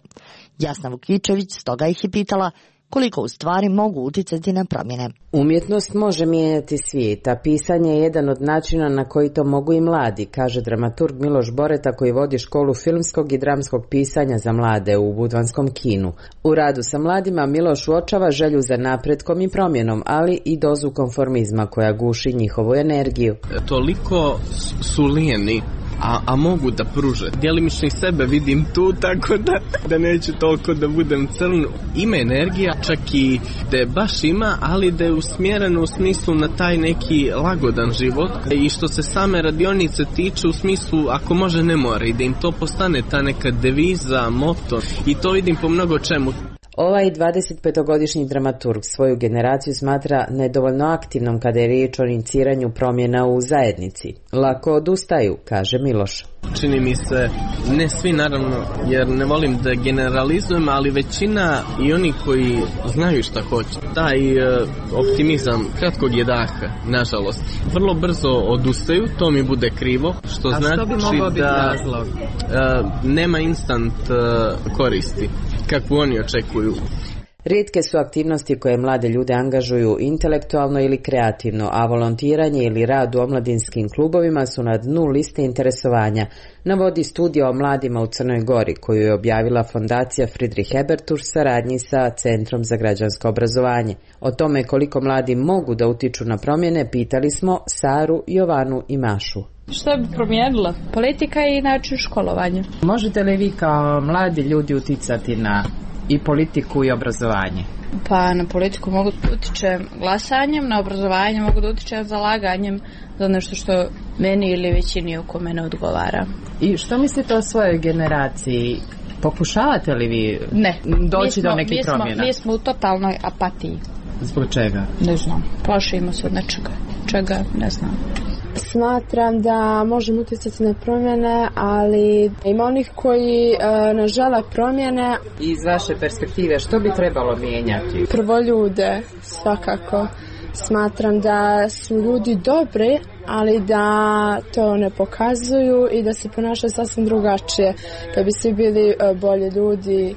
Jasna Vukičević stoga ih je pitala koliko u stvari mogu uticati na promjene. Umjetnost može mijenjati svijet, a pisanje je jedan od načina na koji to mogu i mladi, kaže dramaturg Miloš Boreta koji vodi školu filmskog i dramskog pisanja za mlade u budvanskom kinu. U radu sa mladima Miloš uočava želju za napretkom i promjenom, ali i dozu konformizma koja guši njihovu energiju. Toliko su lijeni, A, a mogu da pruže. Djelimično i sebe vidim tu, tako da, da neću toliko da budem crn. Ima energija, čak i da je baš ima, ali da je usmjereno u smislu na taj neki lagodan život. I što se same radionice tiče, u smislu ako može ne mora i da im to postane ta neka deviza, moto. I to vidim po mnogo čemu. Ovaj dvadesetpetogodišnji dramaturg svoju generaciju smatra nedovoljno aktivnom kada je riječ o iniciranju promjena u zajednici. Lako odustaju, kaže Miloš. Čini mi se, ne svi naravno, jer ne volim da generalizujem, ali većina i oni koji znaju šta hoće, taj e, optimizam kratkog je daha, nažalost. Vrlo brzo odustaju, to mi bude krivo, što A znači što bi mogao biti da razlog? E, nema instant e, koristi, kakvu oni očekuju. Rijetke su aktivnosti koje mlade ljude angažuju intelektualno ili kreativno, a volontiranje ili rad u omladinskim klubovima su na dnu liste interesovanja, navodi studija o mladima u Crnoj Gori koju je objavila fondacija Friedrich Ebert u saradnji sa Centrom za građansko obrazovanje. O tome koliko mladi mogu da utiču na promjene pitali smo Saru, Jovanu i Mašu. Što bi promijenila? Politika i način školovanja. Možete li vi kao mladi ljudi uticati na i politiku i obrazovanje? Pa na politiku mogu da utičem glasanjem, na obrazovanje mogu da utičem zalaganjem za nešto što meni ili većini oko mene odgovara. I što mislite o svojoj generaciji? Pokušavate li vi ne. doći smo, do nekih mi smo, promjena? Mi smo u totalnoj apatiji. Zbog čega? Ne znam. Plašimo se od nečega. Čega? Ne znam. Smatram da možemo utjecati na promjene, ali ima onih koji e, ne žele promjene. Iz vaše perspektive što bi trebalo mijenjati? Prvo ljude, svakako. Smatram da su ljudi dobri, ali da to ne pokazuju i da se ponašaju sasvim drugačije. Kad bi svi bili e, bolji ljudi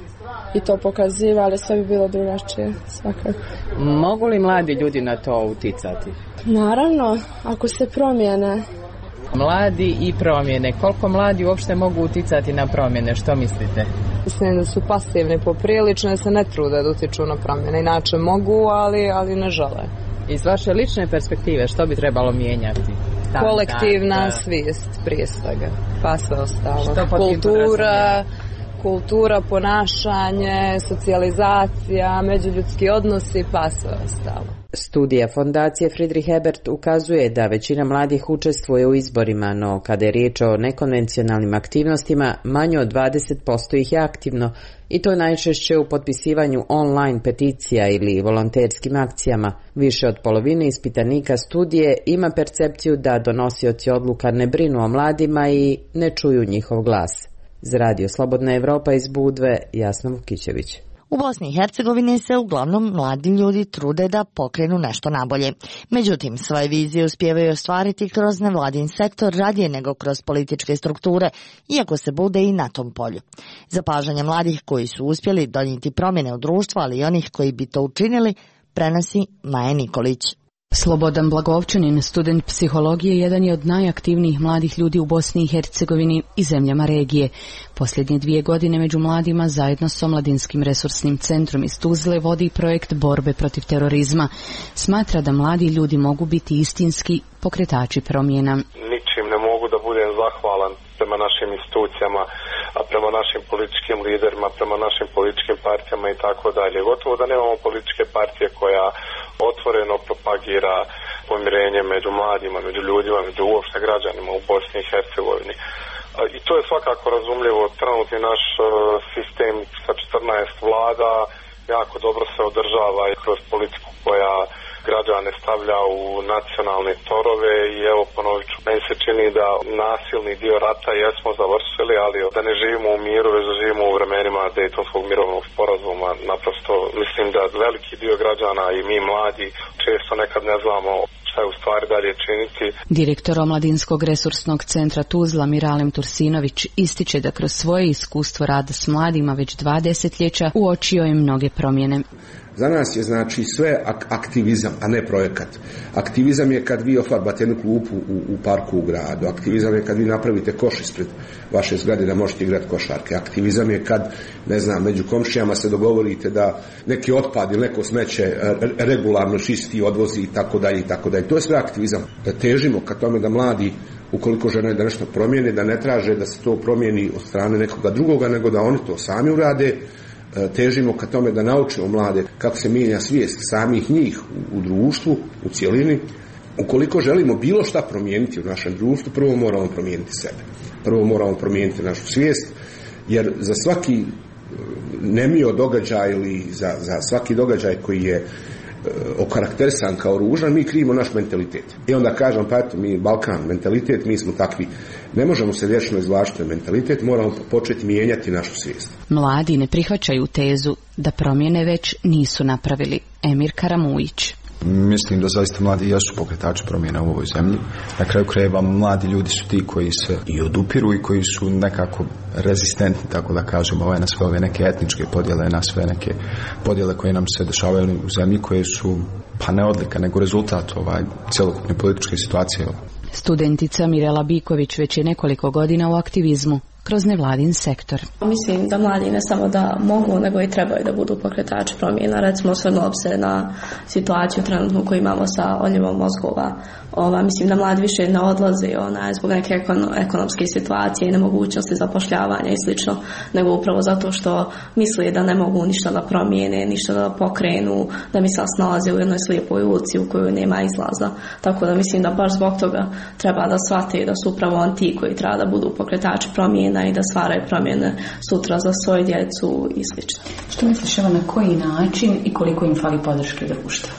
i to pokazivali, sve bi bilo drugačije, svakako. Mogu li mladi ljudi na to uticati? Naravno, ako se promijene. Mladi i promjene. Koliko mladi uopšte mogu uticati na promjene? Što mislite? Mislim da su pasivni poprilično, se ne trude da utiču na promjene. Inače mogu, ali, ali ne žele. Iz vaše lične perspektive što bi trebalo mijenjati? Da, kolektivna da, svijest prije svega, pa sve ostalo. Kultura, kultura, ponašanje, socijalizacija, međuljudski odnosi, pa sve ostalo. Studija fondacije Friedrich Ebert ukazuje da većina mladih učestvuje u izborima, no kada je riječ o nekonvencionalnim aktivnostima, manje od dvadeset posto ih je aktivno i to najčešće u potpisivanju online peticija ili volonterskim akcijama. Više od polovine ispitanika studije ima percepciju da donosioci odluka ne brinu o mladima i ne čuju njihov glas. Za Radio Slobodna Evropa iz Budve, Jasna Vukićević. U Bosni i Hercegovini se uglavnom mladi ljudi trude da pokrenu nešto nabolje. Međutim, svoje vizije uspijevaju ostvariti kroz nevladin sektor radije nego kroz političke strukture, iako se bude i na tom polju. Zapažanja mladih koji su uspjeli donijeti promjene u društvu, ali i onih koji bi to učinili, prenosi Maja Nikolić. Slobodan Blagovčanin, student psihologije, jedan je od najaktivnijih mladih ljudi u Bosni i Hercegovini i zemljama regije. Posljednje dvije godine među mladima zajedno s Omladinskim resursnim centrom iz Tuzle vodi projekt borbe protiv terorizma. Smatra da mladi ljudi mogu biti istinski pokretači promjena. Ničim ne mogu da budem zahvalan prema našim institucijama, a prema našim političkim liderima, prema našim političkim partijama i tako dalje. Gotovo da nemamo političke partije koja otvoreno propagira pomirenje među mladima, među ljudima, među uopšte građanima u Bosni i Hercegovini. I to je svakako razumljivo. Trenutni naš sistem sa četrnaest vlada jako dobro se održava i kroz politiku koja građane stavlja u nacionalne torove i evo ponovit ću, meni se čini da nasilni dio rata jesmo završili, ali da ne živimo u miru, već da živimo u vremenima Dejtonskog mirovnog sporazuma. Naprosto mislim da veliki dio građana i mi mladi često nekad ne znamo šta je u stvari dalje činiti. Direktor Omladinskog resursnog centra Tuzla Miralem Tursinović ističe da kroz svoje iskustvo rada s mladima već dva desetljeća uočio je mnoge promjene. Za nas je znači sve aktivizam, a ne projekat. Aktivizam je kad vi ofarbate jednu klupu u, u parku u gradu. Aktivizam je kad vi napravite koš ispred vaše zgrade da možete igrati košarke. Aktivizam je kad, ne znam, među komšijama se dogovorite da neki otpad ili neko smeće regularno čisti, odvozi i tako dalje i tako dalje. To je sve aktivizam. Da težimo ka tome da mladi, ukoliko žele da nešto promijene, da ne traže da se to promijeni od strane nekoga drugoga, nego da oni to sami urade. Težimo ka tome da naučimo mlade kako se mijenja svijest samih njih u, u društvu, u cjelini. Ukoliko želimo bilo šta promijeniti u našem društvu, prvo moramo promijeniti sebe. Prvo moramo promijeniti našu svijest, jer za svaki nemio događaj ili za, za svaki događaj koji je okarakterisan kao ružan, mi krivimo naš mentalitet. I onda kažem, pa eto, mi Balkan, mentalitet, mi smo takvi. Ne možemo se vječno izvlačiti mentalitet, moramo početi mijenjati našu svijest. Mladi ne prihvaćaju tezu da promjene već nisu napravili. Emir Karamujić. Mislim da zaista mladi jesu pokretači promjena u ovoj zemlji. Na kraju krajeva mladi ljudi su ti koji se i odupiru i koji su nekako rezistentni, tako da kažemo, ovaj, na sve ove neke etničke podjele, na sve neke podjele koje nam se dešavaju u zemlji, koje su pa ne odlika, nego rezultat ovaj, cjelokupne političke situacije. Studentica Mirela Biković već je nekoliko godina u aktivizmu kroz nevladin sektor. Mislim da mladi ne samo da mogu, nego i trebaju da budu pokretači promjena. Recimo, osvrnuo bi se na situaciju trenutnu koju imamo sa odljevom mozgova. Ova, mislim da mladi više ne odlaze ona, zbog neke ekonomske situacije i nemogućnosti zapošljavanja i slično, nego upravo zato što misle da ne mogu ništa da promijene, ništa da pokrenu, da misle se nalaze u jednoj slijepoj ulici u kojoj nema izlaza. Tako da mislim da baš zbog toga treba da shvate da su upravo on ti koji treba da budu pokretači promjena i da stvaraju promjene sutra za svoju djecu i slično. Što misliš, evo, na koji način i koliko im fali podrške društva?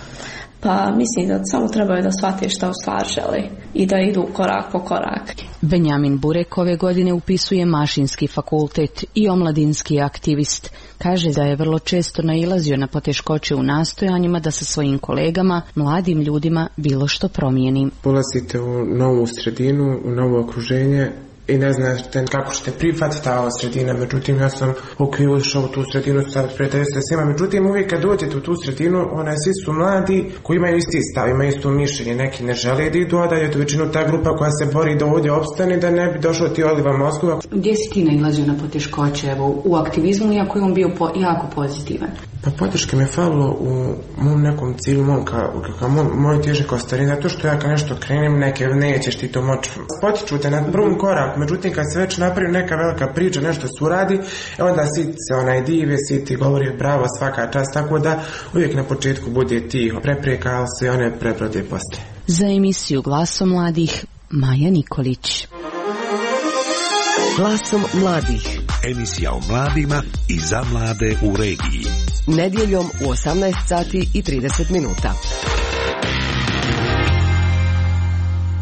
Pa mislim da samo trebaju da shvate šta u stvari žele i da idu korak po korak. Benjamin Burek ove godine upisuje Mašinski fakultet i omladinski aktivist. Kaže da je vrlo često nailazio na poteškoće u nastojanjima da sa svojim kolegama, mladim ljudima, bilo što promijeni. Ulazite u novu sredinu, u novo okruženje i ne znate kako ćete prihvatiti ta sredina. Međutim, ja sam ok, ušao u tu sredinu, sad prijatelju se svima. Međutim, uvijek kad dođete u tu sredinu, onaj, svi su mladi koji imaju isti stav, imaju isto mišljenje. Neki ne žele da idu, a da je to većinu ta grupa koja se bori da ovdje opstane, da ne bi došlo ti odliva mozgova. Gdje si ti nailazio na poteškoće, evo, u aktivizmu, iako je on bio po, jako pozitivan? Pa podrške me falilo u mom nekom cilju, mom ka, ka moj, moj težak ostarin, zato što ja kad nešto krenem, neke nećeš ti to moći. Potiču te na prvom koraku, međutim kad se već napravi neka velika priča, nešto se uradi, onda svi se onaj dive, svi ti govori bravo, svaka čast, tako da uvijek na početku bude tiho prepreka, ali se one prebrode poslije. Za emisiju Glasom mladih, Maja Nikolić. Glasom mladih. Emisija o mladima i za mlade u regiji. Nedjeljom u osamnaest sati i trideset minuta.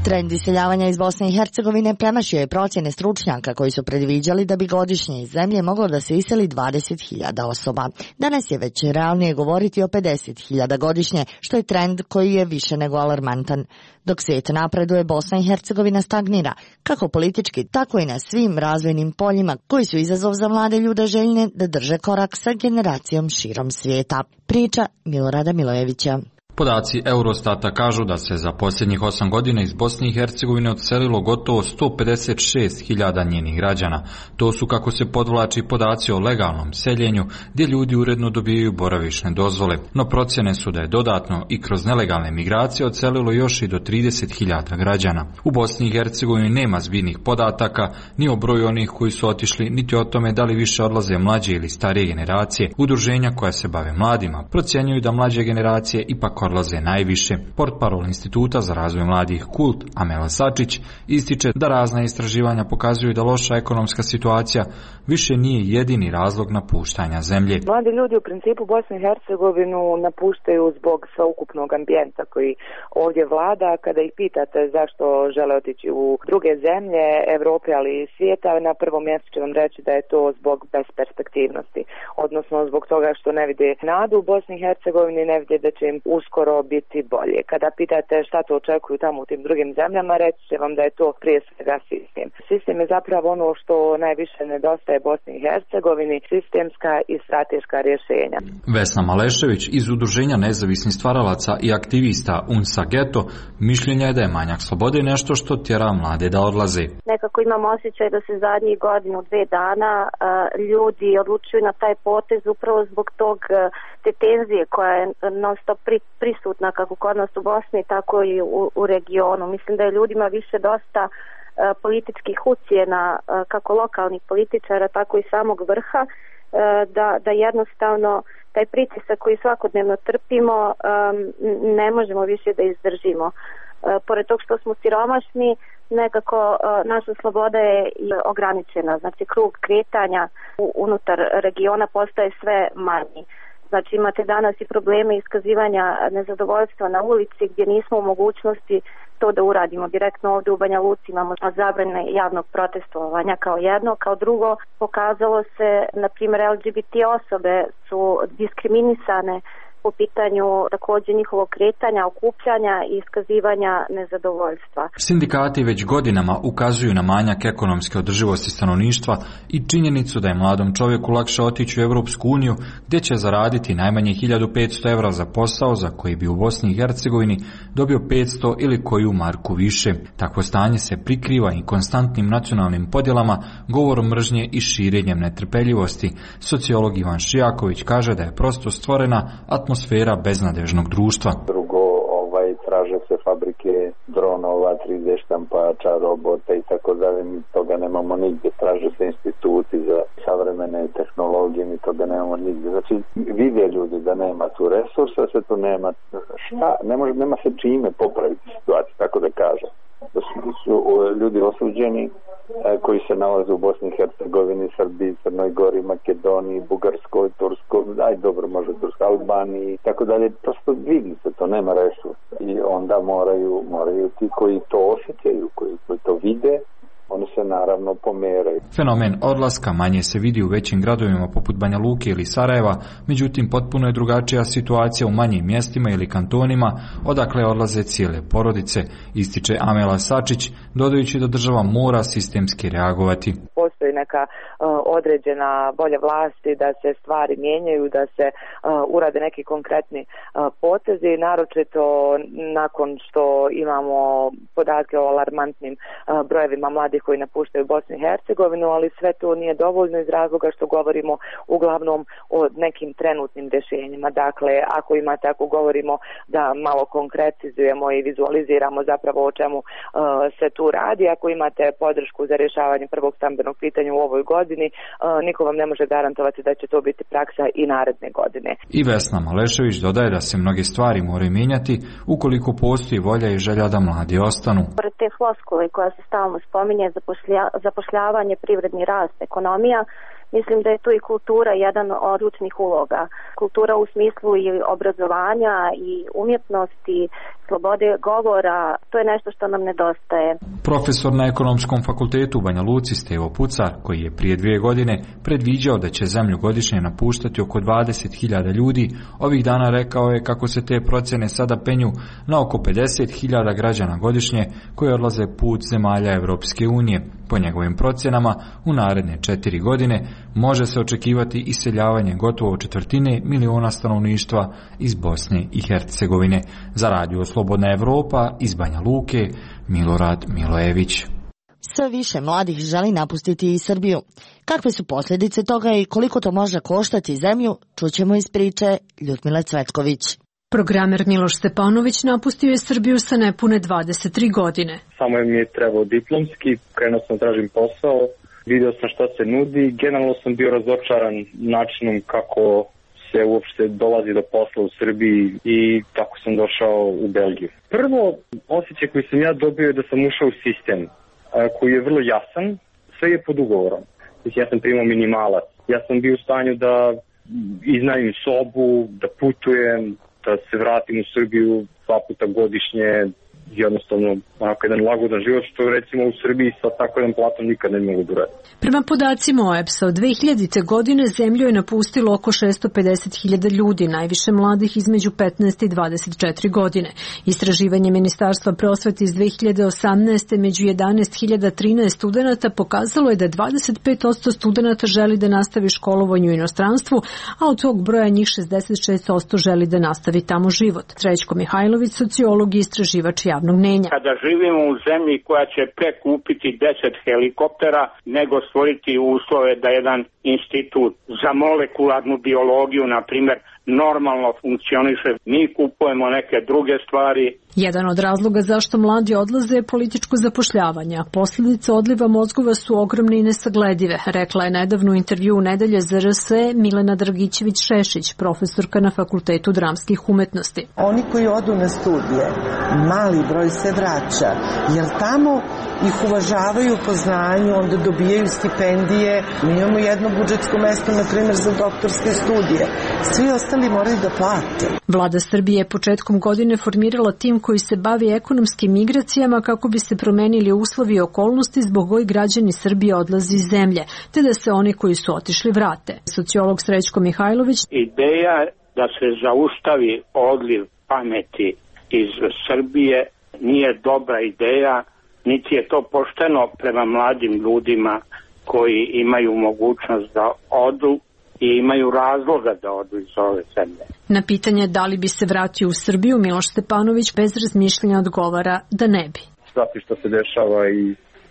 Trend iseljavanja iz Bosne i Hercegovine premašio je procjene stručnjaka koji su predviđali da bi godišnje iz zemlje moglo da se iseli dvadeset hiljada osoba. Danas je već realnije govoriti o pedeset hiljada godišnje, što je trend koji je više nego alarmantan. Dok svijet napreduje, Bosna i Hercegovina stagnira, kako politički, tako i na svim razvojnim poljima koji su izazov za mlade ljude željne da drže korak sa generacijom širom svijeta. Priča Milorada Milojevića. Podaci Eurostata kažu da se za posljednjih osam godina iz Bosne i Hercegovine odselilo gotovo sto pedeset šest hiljada njenih građana. To su, kako se podvlači, podaci o legalnom seljenju, gdje ljudi uredno dobijaju boravišne dozvole. No procjene su da je dodatno i kroz nelegalne migracije odselilo još i do trideset hiljada građana. U Bosni i Hercegovini nema zbirnih podataka ni o broju onih koji su otišli, niti o tome da li više odlaze mlađe ili starije generacije. Udruženja koja se bave mladima procjenjuju da mlađe generacije ipak odlaze najviše. Portparol Instituta za razvoj mladih Kult, Amela Sačić, ističe da razna istraživanja pokazuju da loša ekonomska situacija više nije jedini razlog napuštanja zemlje. Mladi ljudi u principu Bosnu i Hercegovinu napuštaju zbog sveukupnog ambijenta koji ovdje vlada. Kada ih pitate zašto žele otići u druge zemlje, Evrope, ali i svijeta, na prvom mjestu će vam reći da je to zbog besperspektivnosti, odnosno zbog toga što ne vide nadu u Bosni i Hercegovini, ne vide da će im uskoro biti bolje. Kada pitate šta to očekuju tamo u tim drugim zemljama, reći će vam da je to prije svega sistem. Sistem je zapravo ono što najviše nedostaje Bosni i Hercegovini, sistemska i strateška rješenja. Vesna Malešević iz Udruženja nezavisnih stvaralaca i aktivista UNSA Geto mišljenja je da je manjak slobode nešto što tjera mlade da odlaze. Nekako imam osjećaj da se zadnjih godinu, dve dana ljudi odlučuju na taj potez upravo zbog tog te tenzije koja je non stop prisutna kako kod nas u Bosni, tako i u, u regionu. Mislim da je ljudima više dosta uh, političkih ucjena, uh, kako lokalnih političara, tako i samog vrha, uh, da, da jednostavno taj pritisak koji svakodnevno trpimo um, ne možemo više da izdržimo. Uh, pored tog što smo siromašni, nekako uh, naša sloboda je ograničena. Znači krug kretanja u, unutar regiona postaje sve manji. Znači imate danas i probleme iskazivanja nezadovoljstva na ulici gdje nismo u mogućnosti to da uradimo. Direktno ovdje u Banja Luci imamo zabrane javnog protestovanja kao jedno. Kao drugo, pokazalo se, na primjer, L G B T osobe su diskriminisane po pitanju također njihovog kretanja, okupljanja i iskazivanja nezadovoljstva. Sindikati već godinama ukazuju na manjak ekonomske održivosti stanovništva i činjenicu da je mladom čovjeku lakše otići u Europsku uniju, gdje će zaraditi najmanje hiljadu petsto evra za posao za koji bi u Bosni i Hercegovini dobio petsto ili koju marku više. Takvo stanje se prikriva i konstantnim nacionalnim podjelama, govorom mržnje i širenjem netrpeljivosti. Sociolog Ivan Šijaković kaže da je prosto stvorena atmosfera beznadežnog društva. Drugo, ovaj, traže se fabrike dronova, tri D štampača, robota i tako dalje, mi toga nemamo nigdje. Traže se instituti za savremene tehnologije, mi toga nemamo nigdje. Znači, vide ljudi da nema tu resursa, se tu nema šta, ne može, nema se čime popraviti situaciju, tako da kažem. Da su, su ljudi osuđeni koji se nalaze u Bosni i Hercegovini, Srbiji, Crnoj Gori, Makedoniji, Bugarskoj, Turskoj, aj dobro može Turskoj, Albaniji, tako dalje. Prosto vidi se, to nema resursa. I onda moraju, moraju ti koji to osjećaju, koji, koji to vide, oni se naravno pomeraju. Fenomen odlaska manje se vidi u većim gradovima poput Banja Luke ili Sarajeva, međutim potpuno je drugačija situacija u manjim mjestima ili kantonima, odakle odlaze cijele porodice, ističe Amela Sačić, dodajući da država mora sistemski reagovati. Postoji neka uh, određena volja vlasti da se stvari mijenjaju, da se uh, urade neki konkretni uh, potezi, naročito nakon što imamo podatke o alarmantnim uh, brojevima mladih koji napuštaju Bosnu i Hercegovinu, ali sve to nije dovoljno iz razloga što govorimo uglavnom o nekim trenutnim rješenjima. Dakle, ako imate, ako govorimo da malo konkretizujemo i vizualiziramo zapravo o čemu uh, se tu radi, ako imate podršku za rješavanje prvog stambenog pitanja u ovoj godini, uh, niko vam ne može garantovati da će to biti praksa i naredne godine. I Vesna Malešević dodaje da se mnoge stvari moraju mijenjati ukoliko postoji volja i želja da mladi ostanu. Pored te floskule koja se stalno spominje, Zapošlja, zapošljavanje, privredni rast, ekonomija, mislim da je tu i kultura jedan od ključnih uloga. Kultura u smislu i obrazovanja i umjetnosti, slobode govora, to je nešto što nam nedostaje. Profesor na Ekonomskom fakultetu u Banja Luci Stevo Pucar, koji je prije dvije godine predviđao da će zemlju godišnje napuštati oko dvadeset hiljada ljudi, ovih dana rekao je kako se te procjene sada penju na oko pedeset hiljada građana godišnje koji odlaze put zemalja Evropske unije. Po njegovim procjenama, u naredne četiri godine može se očekivati iseljavanje gotovo četvrtine miliona stanovništva iz Bosne i Hercegovine. Za Radio Slobodna Evropa iz Banja Luke, Milorad Milojević. Sve više mladih želi napustiti i Srbiju. Kakve su posljedice toga i koliko to može koštati zemlju, čućemo iz priče Ljudmile Cvetković. Programer Miloš Stepanović napustio je Srbiju sa nepune dvadeset tri godine. Samo mi je trebao diplomski, krenuo sam tražim posao, vidio sam šta se nudi, generalno sam bio razočaran načinom kako se uopšte dolazi do posla u Srbiji i tako sam došao u Belgiju. Prvo, osjećaj koji sam ja dobio je da sam ušao u sistem koji je vrlo jasan, sve je pod ugovorom. Ja sam primao minimalac, ja sam bio u stanju da iznajmim sobu, da putujem, da se vratim u Srbiju dva puta godišnje, jednostavno onako jedan lagodan život, što recimo u Srbiji sa tako jedan platom nikad ne mogu da uradi. Prema podacima O E B S-a, od dve hiljadite. godine zemlju je napustilo oko šesto pedeset hiljada ljudi, najviše mladih između petnaest i dvadeset četiri godine. Istraživanje Ministarstva prosvete iz dve hiljade osamnaeste. među jedanaest hiljada trinaest studenata pokazalo je da dvadeset pet posto studenata želi da nastavi školovanje u inostranstvu, a od tog broja njih šezdeset šest posto želi da nastavi tamo život. Srećko Mihajlović, sociolog i istraživač javnog mnjenja. Kada živimo u zemlji koja će prekupiti deset helikoptera, nego stvoriti uslove da jedan institut za molekularnu biologiju, na primjer, normalno funkcioniše, mi kupujemo neke druge stvari. Jedan od razloga zašto mladi odlaze je političko zapošljavanje, a posljedice odliva mozgova su ogromne i nesagledive, rekla je nedavno u intervju u Nedelje za R S Milena Dragićević-Šešić, profesorka na Fakultetu dramskih umetnosti. Oni koji odu na studije, mali broj se vraća, jer tamo ih uvažavaju po znanju, onda dobijaju stipendije. Mi imamo jedno budžetsko mesto, na primjer, za doktorske studije. Svi ostali moraju da plate. Vlada Srbije je početkom godine formirala tim koji se bavi ekonomskim migracijama kako bi se promenili uslovi i okolnosti zbog kojih građani Srbije odlaze iz zemlje, te da se oni koji su otišli vrate. Sociolog Srećko Mihajlović. Ideja da se zaustavi odliv pameti iz Srbije nije dobra ideja, niti je to pošteno prema mladim ljudima koji imaju mogućnost da odu i imaju razloga da odu iz ove zemlje. Na pitanje da li bi se vratio u Srbiju, Miloš Stepanović bez razmišljanja odgovara da ne bi. Zato što se dešava i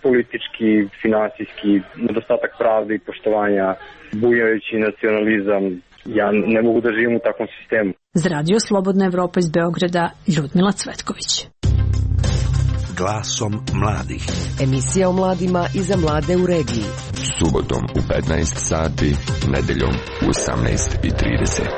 politički, finansijski, nedostatak pravde i poštovanja, bujajući nacionalizam, ja ne mogu da živim u takvom sistemu. Za Radio Slobodna Evropa iz Beograda, Ljudmila Cvetković. Glasom mladih. Emisija o mladima i za mlade u regiji. Subotom u petnaest sati, nedeljom u osamnaest i trideset.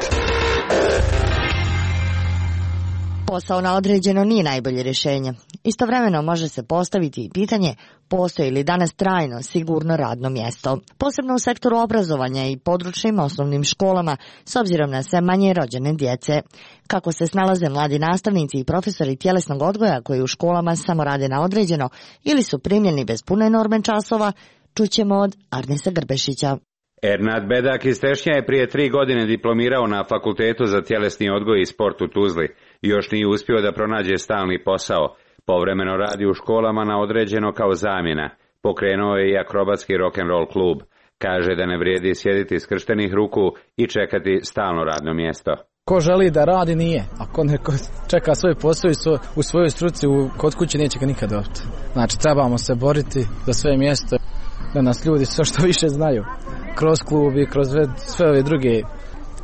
Posao na određeno nije najbolje rješenje. Istovremeno može se postaviti i pitanje postoji li danas trajno sigurno radno mjesto, posebno u sektoru obrazovanja i područnim osnovnim školama, s obzirom na sve manje rođene djece. Kako se snalaze mladi nastavnici i profesori tjelesnog odgoja koji u školama samo rade na određeno ili su primljeni bez pune norme časova, čućemo od Arnesa Grbešića. Ernad Bedak iz Tešnja je prije tri godine diplomirao na Fakultetu za tjelesni odgoj i sport u Tuzli. Još nije uspio da pronađe stalni posao. Povremeno radi u školama na određeno kao zamjena. Pokrenuo je i akrobatski rock'n'roll klub. Kaže da ne vrijedi sjediti skrštenih ruku i čekati stalno radno mjesto. Ko želi da radi nije. Ako neko čeka svoj posao u svojoj struci kod kuće neće ga nikad dobiti. Znači trebamo se boriti za svoje mjesto da nas ljudi sve što više znaju. Kroz klub i kroz sve ove druge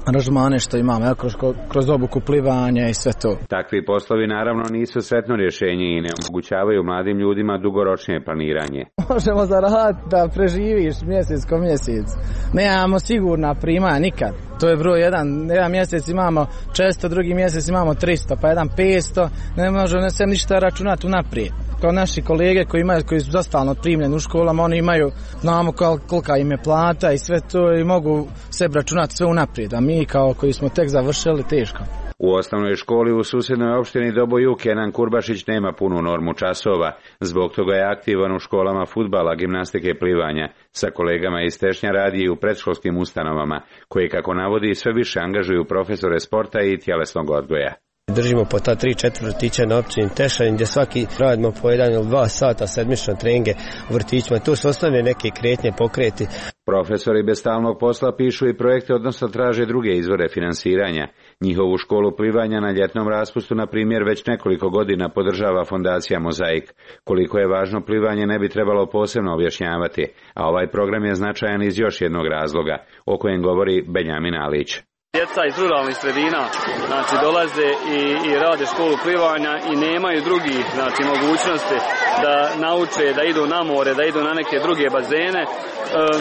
aranžmane što imamo, ja, kroz, kroz obuku plivanja i sve to. Takvi poslovi naravno nisu sretno rješenje i ne omogućavaju mladim ljudima dugoročnije planiranje. Možemo zaraditi da preživiš mjesec ko mjesec. Nemamo sigurna primanja nikad. To je broj jedan. Jedan mjesec imamo često, drugi mjesec imamo tristo, pa jedan petsto. Ne možemo ne sem ništa računati unaprijed. Kao naši kolege koji imaju, koji su zastalno primljeni u školama, oni imaju, znamo kolika im je plata i sve to i mogu sebi računati sve unaprijed, a mi kao koji smo tek završili teško. U osnovnoj školi u susjednoj opštini Doboj Kenan Kurbašić nema punu normu časova, zbog toga je aktivan u školama fudbala, gimnastike i plivanja. Sa kolegama iz Tešnja radi i u predškolskim ustanovama, koji kako navodi sve više angažuju profesore sporta i tjelesnog odgoja. Držimo po ta tri četiri vrtića na općini Tešanin gdje svaki radimo po jedan ili dva sata sedmično treninge u vrtićima. Tu su osnovne neke kretnje, pokreti. Profesori bez stalnog posla pišu i projekte, odnosno traže druge izvore finansiranja. Njihovu školu plivanja na ljetnom raspustu, na primjer, već nekoliko godina podržava fondacija Mozaik. Koliko je važno plivanje ne bi trebalo posebno objašnjavati, a ovaj program je značajan iz još jednog razloga, o kojem govori Benjamin Alić. Djeca iz ruralnih sredina znači, dolaze i, i rade školu plivanja i nemaju drugih znači, mogućnosti da nauče, da idu na more, da idu na neke druge bazene. E,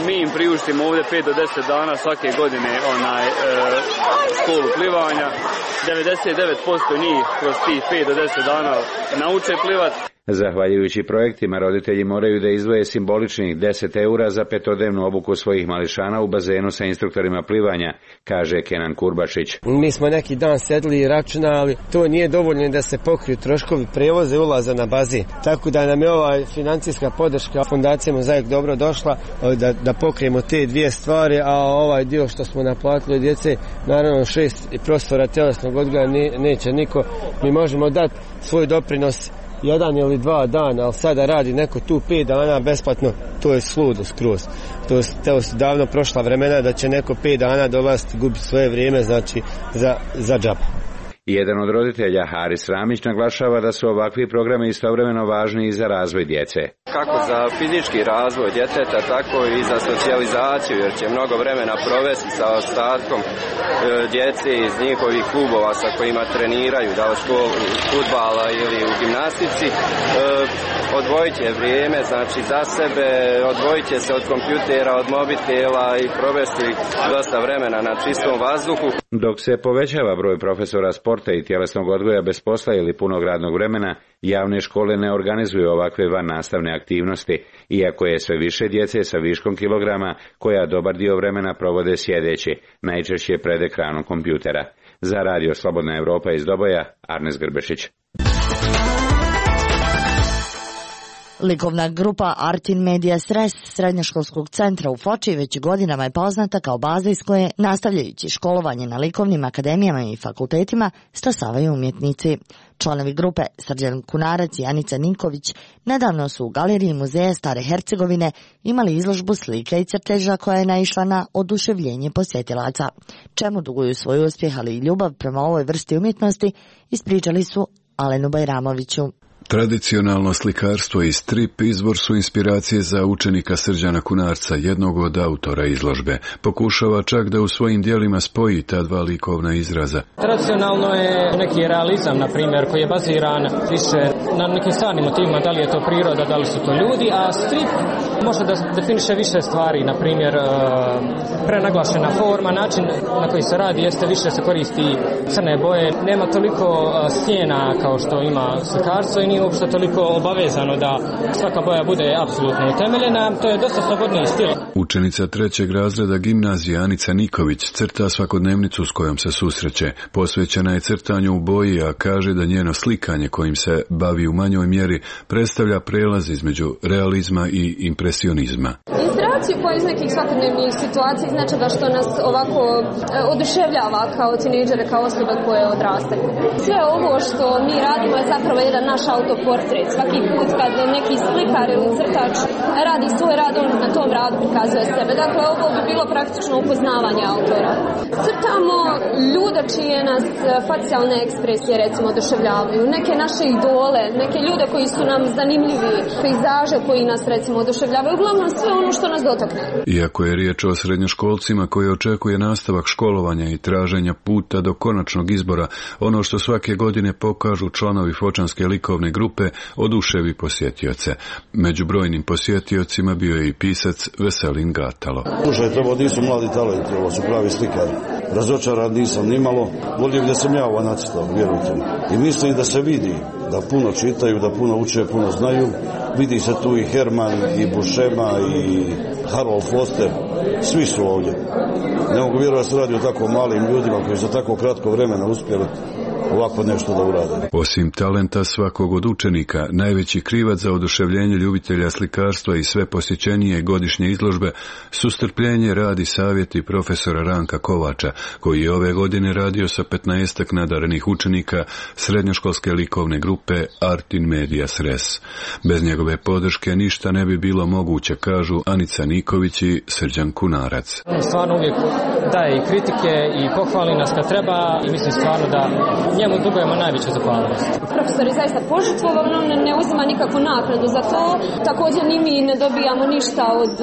mi im priuštimo ovdje pet do deset dana svake godine onaj, e, školu plivanja. devedeset devet posto njih kroz tih pet do deset dana nauče plivati. Zahvaljujući projektima, roditelji moraju da izdvoje simboličnih deset eura za petodnevnu obuku svojih mališana u bazenu sa instruktorima plivanja, kaže Kenan Kurbašić. Mi smo neki dan sedli i računali, to nije dovoljno da se pokriju troškovi prevoza i ulaza na bazen. Tako da nam je ova financijska podrška fondacije Mozaik dobro došla da, da pokrijemo te dvije stvari, a ovaj dio što smo naplatili od djece, naravno šest profesora tjelesnog odgoja ne, neće niko. Mi možemo dati svoj doprinos jedan ili dva dana, ali sada radi neko tu pet dana besplatno, to je sludo skroz. To, to su davno prošla vremena da će neko pet dana dolaziti gubiti svoje vrijeme, znači za, za džaba. Jedan od roditelja, Haris Ramić, naglašava da su ovakvi programi istovremeno važni i za razvoj djece. Kako za fizički razvoj djeteta, tako i za socijalizaciju, jer će mnogo vremena provesti sa ostatkom e, djece iz njihovih klubova sa kojima treniraju, da u školu fudbala ili u gimnastici. E, odvojit će vrijeme, znači za sebe, odvojit će se od kompjutera, od mobitela i provesti dosta vremena na čistom vazduhu. Dok se povećava broj profesora sporta i tjelesnog odgoja bez posla ili punog radnog vremena, javne škole ne organizuju ovakve van nastavne aktivnosti, iako je sve više djece sa viškom kilograma koja dobar dio vremena provode sjedeći, najčešće pred ekranom kompjutera. Za Radio Slobodna Evropa iz Doboja, Arnes Grbešić. Likovna grupa Artin Media Sres srednjoškolskog centra u Foči već godinama je poznata kao baza iz koje, nastavljajući školovanje na likovnim akademijama i fakultetima, stasavaju umjetnici. Članovi grupe Srđan Kunarac i Anica Ninković nedavno su u galeriji Muzeja Stare Hercegovine imali izložbu slika i crteža koja je naišla na oduševljenje posjetilaca. Čemu duguju svoj uspjeh, ali i ljubav prema ovoj vrsti umjetnosti, ispričali su Alenu Bajramoviću. Tradicionalno slikarstvo i strip izvor su inspiracije za učenika Srđana Kunarca, jednog od autora izložbe. Pokušava čak da u svojim dijelima spoji ta dva likovna izraza. Tradicionalno je neki realizam, na primjer, koji je baziran više na nekim stvarnim motivima, da li je to priroda, da li su to ljudi, a strip može da definiše više stvari, na primjer, prenaglašena forma, način na koji se radi jeste više se koristi crne boje, nema toliko sjena kao što ima slikarstvo i nije uopšte toliko obavezano da svaka boja bude apsolutno utemeljena, to je dosta slobodniji stil. Učenica trećeg razreda gimnazije Anica Niković crta svakodnevnicu s kojom se susreće. Posvećena je crtanju u boji, a kaže da njeno slikanje kojim se bavi u manjoj mjeri predstavlja prelaz između realizma i impresionizma. Inspiraciju koja iz nekih svakodnevnih situacija znači da što nas ovako oduševljava kao tinejdžere, kao osobe koje odrastaju. Sve ovo što mi radimo je zapravo jedan naš autoportret. Svaki put kad neki slikar ili crtač radi svoj rad, on na tom radu prikazuje sebe. Dakle, ovo bi bilo praktično upoznavanje autora. Crtamo ljude čije nas facijalne ekspresije recimo oduševljavaju, neke naše idole, neke ljude koji su nam zanimljivi, pejzaže koji nas recimo oduševljavaju, uglavnom sve ono što nas dotakne. Iako je riječ o srednjoškolcima koji očekuje nastavak školovanja i traženja puta do konačnog izbora, ono što svake godine pokažu članovi Fočanske likovne grupe oduševi posjetioce. Među brojnim posjetiocima bio je i pisac Veselin Gatalo. Slušajte, ovo nisu mladi talenti, ovo su pravi slikari. Razočaran nisam nimalo, volio gdje sam ja ovo nacrtao, vjerujte mi. I mislim da se vidi da puno čitaju, da puno uče, puno znaju. Vidi se tu i Herman, i Buscema, i Harold Foster, svi su ovdje. Ne mogu vjerovati da se radi o tako malim ljudima koji za tako kratko vremena uspjeli ovako nešto da urade. Osim talenta svakog od učenika, najveći krivac za oduševljenje ljubitelja slikarstva i sve posjećenije godišnje izložbe su strpljenje, rad i savjeti profesora Ranka Kovača, koji je ove godine radio sa petnaestak nadarenih učenika srednjoškolske likovne grupe Artin Media Sres. Bez njegove podrške ništa ne bi bilo moguće, kažu Anica Niković i Srđan Kunarac. Stvarno uvijek daje i kritike i pohvali nas kad treba i mislim stvarno da njemu dugujemo najveću zahvalnost. Profesor je zaista požrtvovan, on ne uzima nikakvu naknadu za to. Također ni mi ne dobijamo ništa od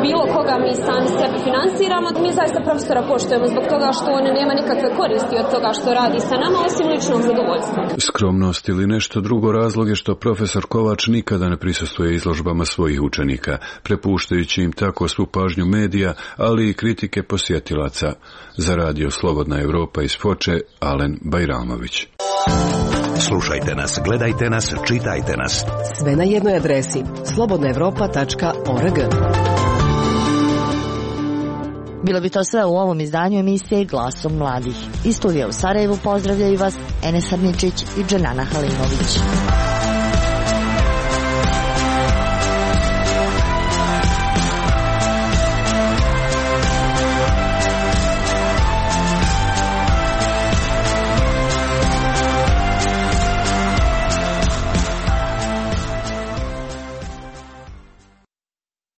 bilo koga, mi sami sebe finansiramo. Mi zaista profesora poštujemo zbog toga što on nema nikakve koristi od toga što radi sa nama, osim ličnog zadovoljstva. Skromnost ili nešto drugo razlog je što profesor Kovač nikada ne prisustvuje izložbama svojih učenika, prepuštajući im tako svu pažnju medija, ali i kritike posjetilaca. Za radio Slobodna Evropa iz Foče, Alen Bajramović. Slušajte nas, gledajte nas, čitajte nas. Sve na jednoj adresi slobodna evropa tačka org. Bilo bi to sve u ovom izdanju emisije Glasom mladih. Iz studija u Sarajevu pozdravljaju vas Enes Arničić i Dženana Halimović.